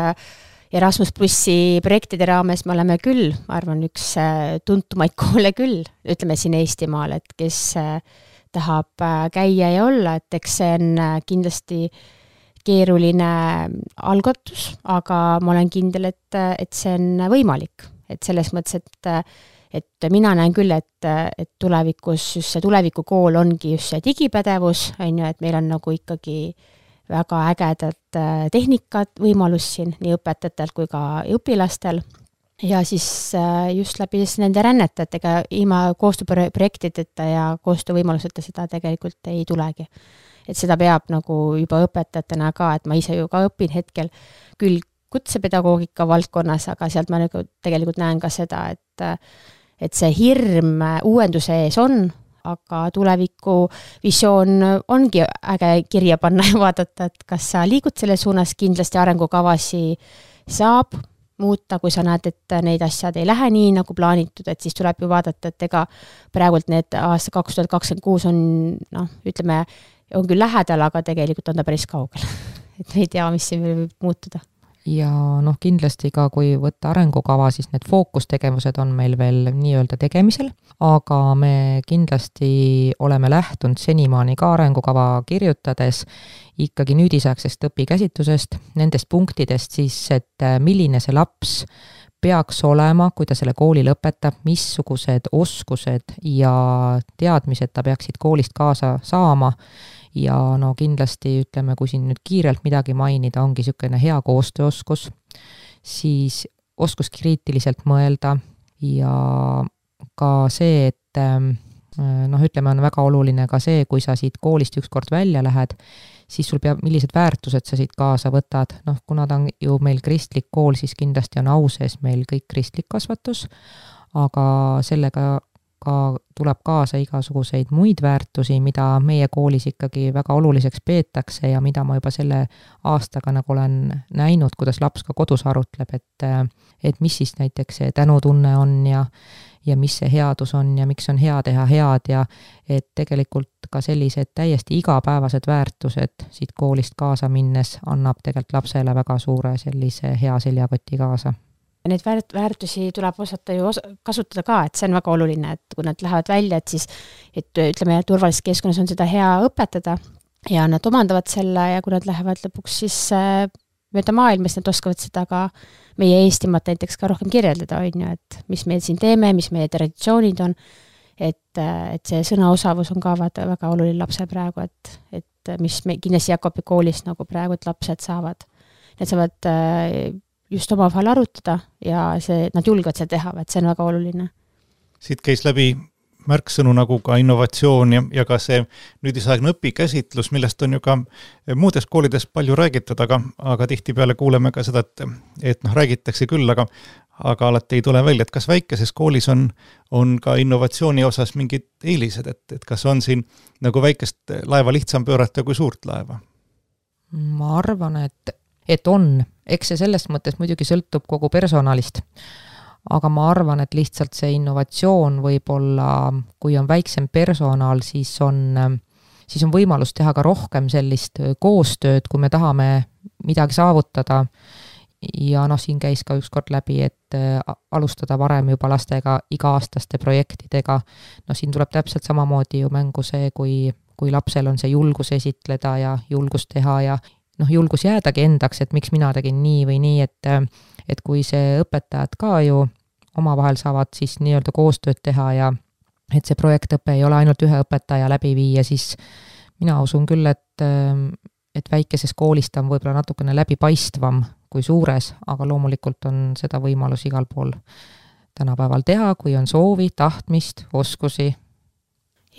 Erasmus plussi projektide raames me oleme küll, ma arvan, üks tuntumaid koole küll, ütleme siin Eestimaal, et kes tahab käia ja olla, et eks see on kindlasti keeruline algatus, aga ma olen kindel, et, et see on võimalik. Et selles mõttes, et, et mina näen küll, et, et tulevikus just see tulevikukool ongi just see digipädevus, on ju, et meil on nagu ikkagi väga ägedad tehnikat, võimalus siin nii õpetajatelt kui ka õpilastel ja siis just läbi nende rännetajatega ilma koostööprojektideta ja koostöövõimaluseta seda tegelikult ei tulegi. Et seda peab nagu juba õpetajatena ka, et ma ise ju ka õpin hetkel küll kutsepedagoogika valdkonnas, aga sealt ma nagu tegelikult näen ka seda, et, et see hirm uuenduse ees on, aga tuleviku visioon ongi äge kirja panna ja vaadata, et kas sa liigud selle suunas, kindlasti arengukavasi saab muuta, kui sa näed, et neid asjad ei lähe nii nagu plaanitud, et siis tuleb ju vaadata, et ega praegult need aasta kaks tuhat kakskümmend kuus on, noh, ütleme, on küll lähedal, aga tegelikult on ta päris kaugel. Et me ei tea, mis siin võib muutuda. Ja noh, kindlasti ka kui võtta arengukava, siis need fookustegevused on meil veel nii-öelda tegemisel, aga me kindlasti oleme lähtunud senimaani ka arengukava kirjutades ikkagi nüüdisaegsest õpikäsitlusest, nendest punktidest siis, et milline see laps peaks olema, kui ta selle kooli lõpetab, missugused oskused ja teadmised ta peaksid koolist kaasa saama. Ja no kindlasti ütleme, kui siin nüüd kiirelt midagi mainida, ongi niisugune hea koostööoskus, siis oskus kriitiliselt mõelda ja ka see, et noh, ütleme, on väga oluline ka see, kui sa siit koolist ükskord välja lähed, siis sul peab, millised väärtused sa siit kaasa võtad. Noh, kuna ta on ju meil kristlik kool, siis kindlasti on au sees meil kõik kristlik kasvatus, aga sellega ka tuleb kaasa igasuguseid muid väärtusi, mida meie koolis ikkagi väga oluliseks peetakse ja mida ma juba selle aastaga nagu olen näinud, kuidas laps ka kodus arutleb, et, et mis siis näiteks see tänutunne on ja, ja mis see headus on ja miks on hea teha head ja et tegelikult ka sellised täiesti igapäevased väärtused siit koolist kaasa minnes annab tegelikult lapsele väga suure sellise hea seljakoti kaasa. Neid väärt, väärtusi tuleb osata ju osa, kasutada ka, et see on väga oluline, et kui nad lähevad välja, et siis, et ütleme, turvalises keskkonnas on seda hea õpetada ja nad omandavad selle ja kui nad lähevad lõpuks siis mööda maailmas, nad oskavad seda ka meie Eestimaat näiteks ka rohkem kirjeldada, on ju, et mis me siin teeme, mis meie traditsioonid on, et, et see sõnaosavus on ka väga, väga oluline lapse praegu, et, et mis me kindlasti Jakobi koolis nagu praegu, et lapsed saavad, need saavad just oma vahel arutada ja see, nad julgevad seda teha, et see on väga oluline. Siit käis läbi märksõnu nagu ka innovatsioon ja, ja ka see nüüdisaegne õpikäsitlus, millest on ju ka muudes koolides palju räägitud, aga, aga tihtipeale kuuleme ka seda, et, et noh, räägitakse küll, aga, aga alati ei tule välja, et kas väikeses koolis on, on ka innovatsiooni osas mingid eelised, et, et kas on siin nagu väikest laeva lihtsam pöörata kui suurt laeva? Ma arvan, et, et on. Eks see selles mõttes muidugi sõltub kogu personalist. Aga ma arvan, et lihtsalt see innovatsioon võib-olla, kui on väiksem personal, siis on, siis on võimalus teha ka rohkem sellist koostööd, kui me tahame midagi saavutada. Ja noh, siin käis ka ükskord läbi, et alustada varem juba lastega iga-aastaste projektidega. No siin tuleb täpselt samamoodi ju mängu see, kui, kui lapsel on see julgus esitleda ja julgus teha ja noh, julgus jäädagi endaks, et miks mina tegin nii või nii, et, et kui see õpetajad ka ju omavahel saavad siis nii-öelda koostööd teha ja et see projektõpe ei ole ainult ühe õpetaja läbi viia, siis mina usun küll, et, et väikeses koolist on võib-olla natukene läbipaistvam kui suures, aga loomulikult on seda võimalus igal pool tänapäeval teha, kui on soovi, tahtmist, oskusi.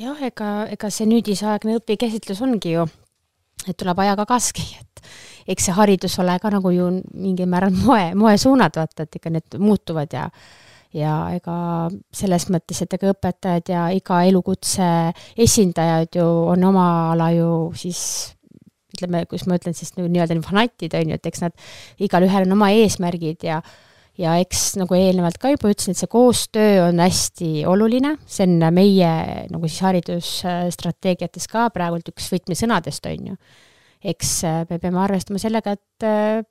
Jah, ega, ega see nüüdisaegne õpikäsitlus ongi ju, et tuleb ajaga kaski, et eks see haridus ole ka nagu ju mingi määral moe, moe suunad, vaata, et ikka need muutuvad ja ja ega selles mõttes, et ega õpetajad ja iga elukutse esindajad ju on oma ala ju siis ütleme, kus ma ütlen siis nii-öelda fanatid, on ju, et eks nad igal ühel on oma eesmärgid ja, ja eks nagu eelnevalt ka juba ütlesin, et see koostöö on hästi oluline, see on meie nagu siis haridusstrateegiates ka praegult üks võtmesõnadest, on ju. Eks me peame arvestama sellega, et,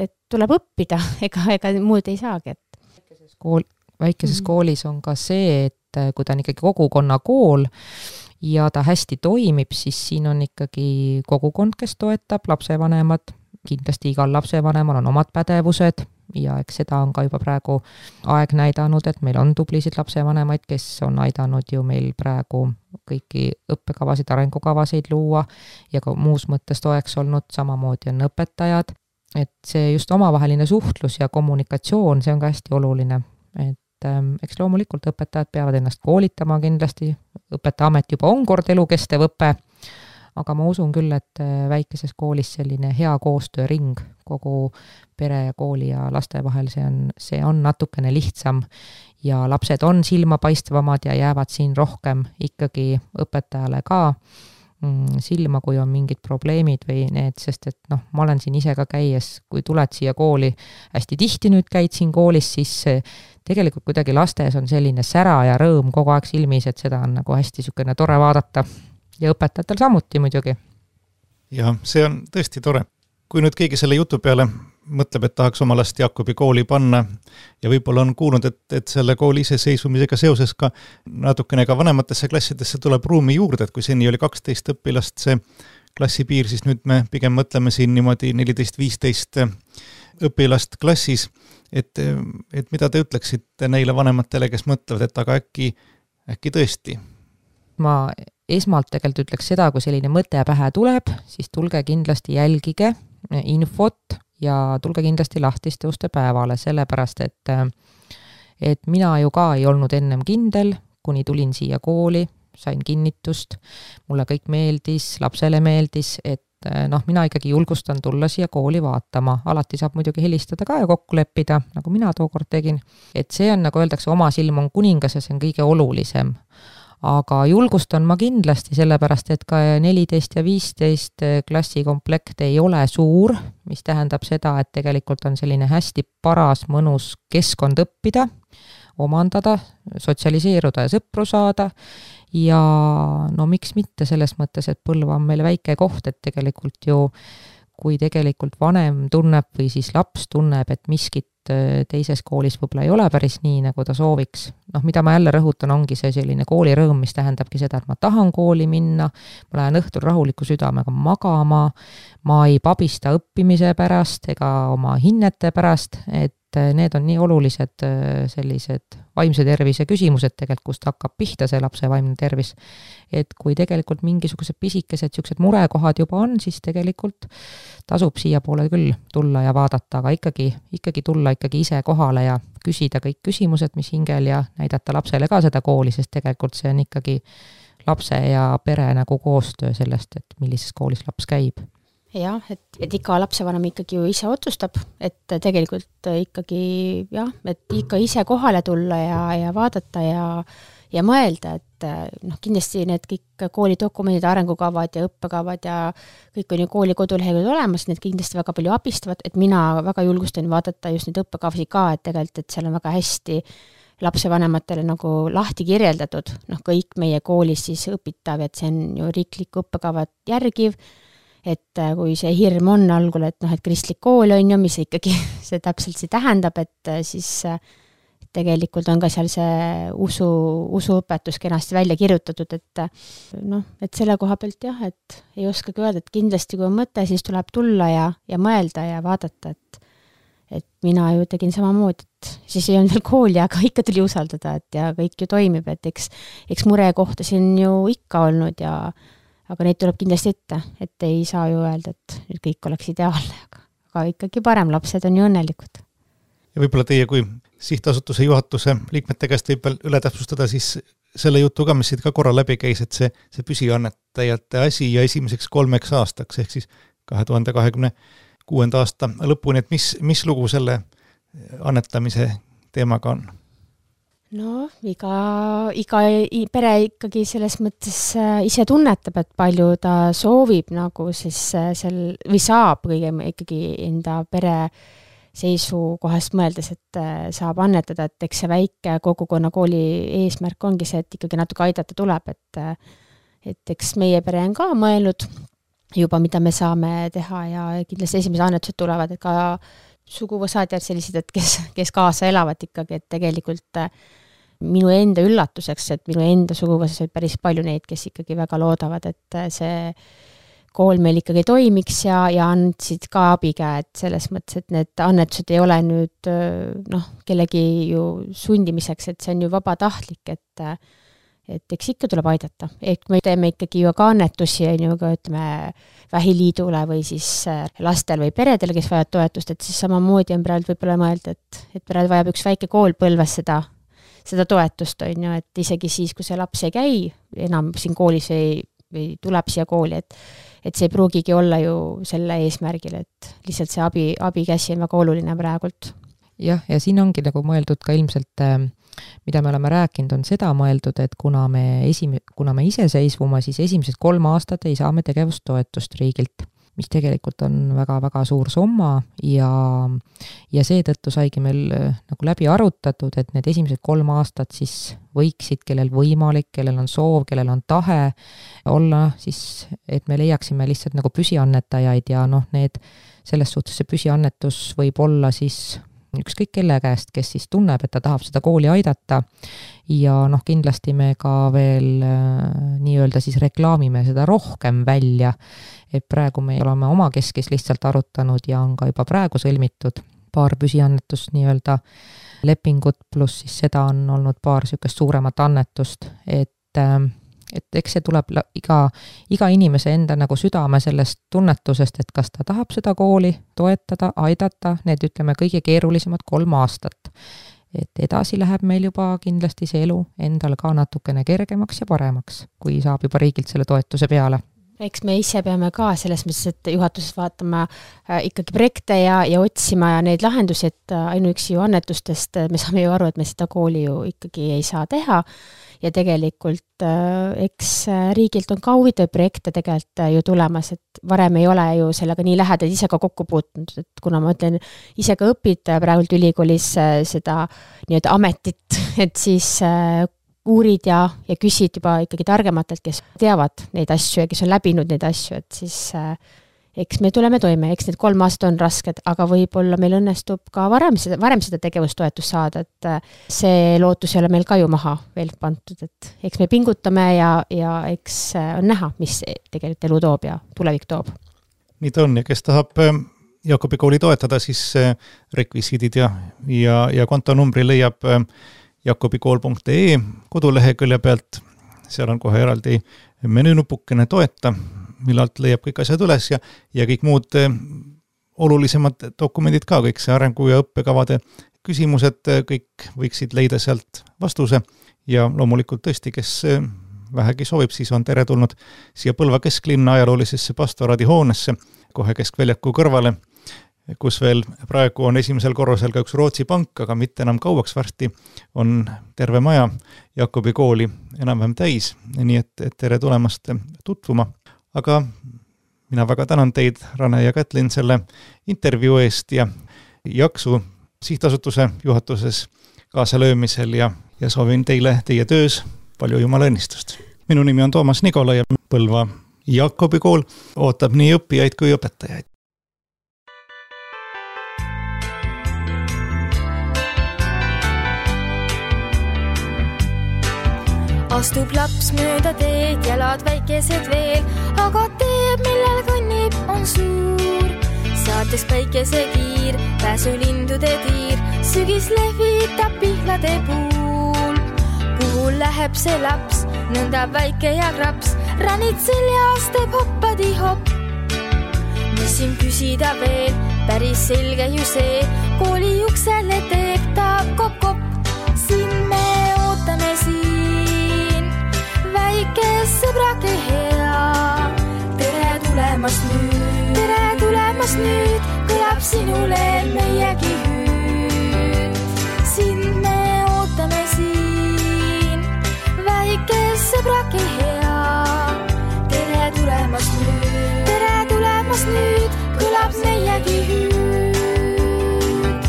et tuleb õppida, ega, ega muud ei saagi. Et. Väikeses, kool, väikeses mm. koolis on ka see, et kui ta on ikkagi kogukonna kool, ja ta hästi toimib, siis siin on ikkagi kogukond, kes toetab, lapsevanemad, kindlasti igal lapsevanemal on omad pädevused ja eks seda on ka juba praegu aeg näidanud, et meil on tublisid lapsevanemaid, kes on aidanud ju meil praegu kõiki õppekavasid, arengukavasid luua ja ka muus mõttes toeks olnud, samamoodi on õpetajad, et see just omavaheline suhtlus ja kommunikatsioon, see on ka hästi oluline, et eks loomulikult õpetajad peavad ennast koolitama kindlasti, õpetajaamet juba on kord elukestev õpe, aga ma usun küll, et väikeses koolis selline hea koostööring kogu pere ja kooli ja laste vahel, see on, see on natukene lihtsam ja lapsed on silmapaistvamad ja jäävad siin rohkem ikkagi õpetajale ka silma, kui on mingid probleemid või need, sest et noh, ma olen siin ise ka käies, kui tuled siia kooli, hästi tihti nüüd käid siin koolis, siis tegelikult kuidagi lastes on selline sära ja rõõm kogu aeg silmis, et seda on nagu hästi sükene tore vaadata ja õpetajatel samuti muidugi. Ja see on tõesti tore. Kui nüüd keegi selle jutu peale mõtleb, et tahaks oma last Jakobi kooli panna ja võib-olla on kuulnud, et, et selle kooli iseseisvumisega seoses ka natukene ka vanematesse klassidesse tuleb ruumi juurde, et kui seni oli kaksteist õpilast see klassipiir, siis nüüd me pigem mõtleme siin niimoodi neliteist viisteist õpilast klassis, et, et mida te ütleksite neile vanematele, kes mõtlevad, et aga äkki, äkki tõesti? Ma esmalt tegelikult ütleks seda, kui selline mõte pähe tuleb, siis tulge kindlasti jälgige infot ja tulge kindlasti lahtiste uste päevale, sellepärast, et, et mina ju ka ei olnud ennem kindel, kuni tulin siia kooli, sain kinnitust, mulle kõik meeldis, lapsele meeldis, et noh, mina ikkagi julgustan tulla siia kooli vaatama. Alati saab muidugi helistada ka ja kokku leppida, nagu mina tookord tegin. Et see on, nagu öeldakse, oma silm on kuningas ja see on kõige olulisem. Aga julgustan ma kindlasti, sellepärast, et ka neliteist ja viisteist klassikomplekt ei ole suur, mis tähendab seda, et tegelikult on selline hästi paras, mõnus keskkond õppida, omandada, sotsialiseeruda ja sõpru saada. Ja no miks mitte selles mõttes, et Põlva on meile väike koht, et tegelikult ju, kui tegelikult vanem tunneb või siis laps tunneb, et miskit teises koolis võib-olla ei ole päris nii, nagu ta sooviks. Noh, mida ma jälle rõhutan, ongi see selline koolirõõm, mis tähendabki seda, et ma tahan kooli minna, ma lähen õhtul rahuliku südamega magama, ma ei pabista õppimise pärast ega oma hinnete pärast, et need on nii olulised sellised vaimse tervise küsimused tegelikult, kust hakkab pihta see lapse vaimne tervis. Et kui tegelikult mingisugused pisikesed siuksed murekohad juba on, siis tegelikult tasub siia poole küll tulla ja vaadata, aga ikkagi, ikkagi tulla ikkagi ise kohale ja küsida kõik küsimused, mis hingel ja näidata lapsele ka seda kooli, sest tegelikult see on ikkagi lapse ja pere nagu koostöö sellest, et millises koolis laps käib. Jah, et, et iga lapsevanem ikkagi ju ise otsustab, et tegelikult ikkagi jah, et ikka ise kohale tulla ja, ja vaadata ja, ja mõelda, et noh, kindlasti need kõik koolidokumendid, arengukavad ja õppekavad ja kõik on ju kooli koduleheküljel olemas, need kindlasti väga palju abistavad, et mina väga julgustan vaadata just neid õppekavasid ka, et tegelikult, et seal on väga hästi lapsevanematele nagu lahti kirjeldatud, noh kõik meie koolis siis õpitav, et see on ju riiklik õppekavad järgiv, et kui see hirm on algul, et noh, et kristlik kool on ju, mis ikkagi see täpselt see tähendab, et siis tegelikult on ka seal see usu, usuõpetus kenasti välja kirjutatud, et noh, et selle koha pealt jah, et ei oskagi öelda, et kindlasti kui on mõte, siis tuleb tulla ja, ja mõelda ja vaadata, et et mina ju tegin samamoodi, et siis ei olnud veel kooli, aga ikka tuli usaldada, et ja kõik ju toimib, et eks, eks murekohta siin ju ikka olnud ja aga neid tuleb kindlasti ette, et ei saa ju öelda, et nüüd kõik oleks ideaalne, aga, aga ikkagi parem, lapsed on ju õnnelikud. Ja võib-olla teie kui sihtasutuse juhatuse liikmete käest võib veel üle täpsustada siis selle jutu ka, mis siit ka korra läbi käis, et see, see püsiannetajate asi ja esimeseks kolmeks aastaks, ehk siis kahe tuhande kahekümne kuuenda aasta lõpuni, et mis, mis lugu selle annetamise teemaga on? No iga, iga pere ikkagi selles mõttes ise tunnetab, et palju ta soovib nagu siis sel, või saab kõige ikkagi enda pere seisukohast mõeldes, et saab annetada, et eks see väike kogukonna kooli eesmärk ongi see, et ikkagi natuke aidata tuleb, et, et eks meie pere on ka mõelnud juba, mida me saame teha ja kindlasti esimesed annetused tulevad, et ka suguvõsad ja sellised, et kes, kes kaasa elavad ikkagi, et tegelikult minu enda üllatuseks, et minu enda suguvõsas oli päris palju neid, kes ikkagi väga loodavad, et see kool meil ikkagi toimiks ja, ja andsid ka abikäed selles mõttes, et need annetused ei ole nüüd noh, kellegi ju sundimiseks, et see on ju vabatahtlik, et et eks ikka tuleb aidata. Et me teeme ikkagi ju ka annetusi, ju ka ütleme Vähiliidule või siis lastel või peredele, kes vajavad toetust, et siis samamoodi on praegu võib-olla mõelda, et, et praegu vajab üks väike kool Põlvas seda, seda toetust, on ju, et isegi siis, kui see laps ei käi enam siin koolis või, või tuleb siia kooli, et, et see ei pruugigi olla ju selle eesmärgil, et lihtsalt see abi, abikäsi on väga oluline praegult. Jah, ja siin ongi nagu mõeldud ka ilmselt mida me oleme rääkinud, on seda mõeldud, et kuna me, esim- kuna me iseseisvuma, siis esimesed kolm aastat ei saa me tegevustoetust riigilt, mis tegelikult on väga-väga suur summa ja, ja seetõttu saigi meil nagu läbi arutatud, et need esimesed kolm aastat siis võiksid, kellel võimalik, kellel on soov, kellel on tahe olla, siis et me leiaksime lihtsalt nagu püsiannetajaid ja noh, need selles suhtes see püsiannetus võib olla siis ükskõik kelle käest, kes siis tunneb, et ta tahab seda kooli aidata ja noh, kindlasti me ka veel äh, nii-öelda siis reklaamime seda rohkem välja, et praegu me oleme oma keskis lihtsalt arutanud ja on ka juba praegu sõlmitud paar püsiannetust nii-öelda lepingut, pluss siis seda on olnud paar sükest suuremat annetust, et äh, et eks see tuleb iga, iga inimese enda nagu südame sellest tunnetusest, et kas ta tahab seda kooli toetada, aidata, need ütleme kõige keerulisemad kolm aastat. Et edasi läheb meil juba kindlasti see elu endal ka natukene kergemaks ja paremaks, kui saab juba riigilt selle toetuse peale. Eks me ise peame ka selles mõttes, et juhatuses vaatama äh, ikkagi projekte ja, ja otsima ja neid lahendusi, et ainuüksi ju annetustest me saame ju aru, et me seda kooli ju ikkagi ei saa teha ja tegelikult äh, eks riigilt on ka huvitav projekte tegelikult äh, ju tulemas, et varem ei ole ju sellega nii lähedalt ise ka kokku puutunud, et kuna ma ütlen, ise ka õpid praegult ülikoolis äh, seda nii-öelda ametit, et siis äh, uurid ja, ja küsid juba ikkagi targematelt, kes teavad neid asju ja kes on läbinud neid asju, et siis äh, eks me tuleme toime, eks need kolm aastat on rasked, aga võib-olla meil õnnestub ka varem seda, varem seda tegevustoetust saada, et äh, see lootus ei ole meil ka ju maha veel pantud, et eks me pingutame ja, ja eks äh, on näha, mis tegelikult elu toob ja tulevik toob. Nii ta on ja kes tahab äh, Jaakobi kooli toetada, siis äh, rekvisiidid ja, ja, ja kontonumbri leiab äh, jakobikool punkt ee kodulehekülje pealt, seal on kohe eraldi menüünupukene toeta, millalt leiab kõik asjad üles ja, ja kõik muud olulisemad dokumendid ka, kõik see arengu- ja õppekavade küsimused, kõik võiksid leida sealt vastuse ja loomulikult tõesti, kes vähegi soovib, siis on tere tulnud siia Põlva kesklinna ajaloolisesse pastoraadi hoonesse, kohe keskväljaku kõrvale, kus veel praegu on esimesel korrusel ka üks Rootsi pank, aga mitte enam kauaks varsti on terve maja Jakobi kooli enam-vähem täis, nii et, et tere tulemast tutvuma. Aga mina väga tänan teid, Rane ja Kätlin, selle intervjuu eest ja jaksu sihtasutuse juhatuses kaasalöömisel ja, ja soovin teile teie töös palju jumala õnnistust. Minu nimi on Toomas Nikola ja Põlva Jakobi kool ootab nii õppijaid kui õpetajaid. Astub laps mööda teed, jalad väikesed veel, aga teeb, millel kõnnib, on suur. Saates päikese kiir, pääsulindude tiir, sügis lehvitab pihlade puul. Kuhu läheb see laps, nõnda väike ja kraps, ranid seljas teeb hoppadi hopp. Mis siin küsida veel, päris selge ju see, kooli uksele teeb ta kopp-kopp. Siin me ootame siin. Väike sõbrake hea, tere tulemast nüüd, tere tulemast nüüd, kõlab sinule meiegi hüüd. Sind me ootame siin, väike sõbrake hea, tere tulemast nüüd, tere tulemast nüüd, kõlab meiegi hüüd.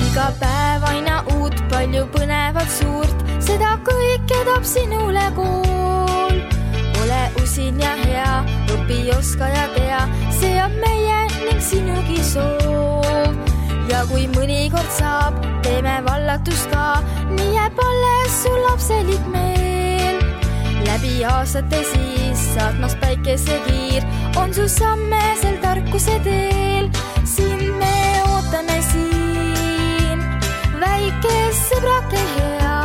Iga päev aina uut, palju põnevat suurt, seda kõike toob sinule kool. Ole usin ja hea, õpi, oska ja tea, see on meie ning sinugi soov. Ja kui mõnikord saab, teeme vallatust ka, nii jääb alles su lapselik meel. Läbi aastate siis, saatmas päikese kiir, on su samme sel tarkuse teel. Siin me ootame siin, väike sõbrake hea.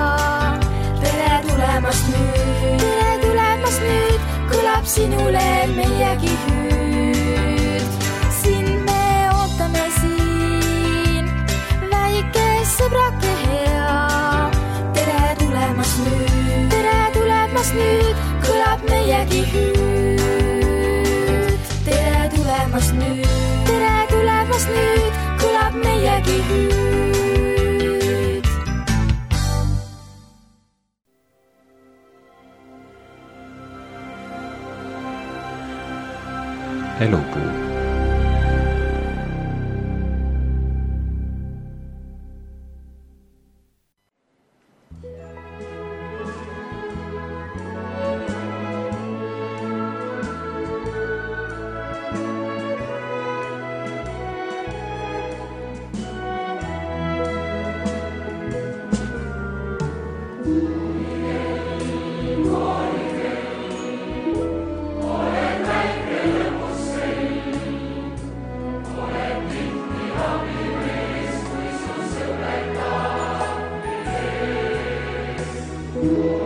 Tere tulemast nüüd, tere tulemast nüüd, kõlab sinule meiegi hüüd. Siin me ootame siin, väike sõbrake hea. Tere tulemast nüüd, tere tulemast nüüd, kõlab meiegi hüüd. Tere tulemast nüüd, tere tulemast nüüd, kõlab meiegi hüüd. Elupuu. Ooh.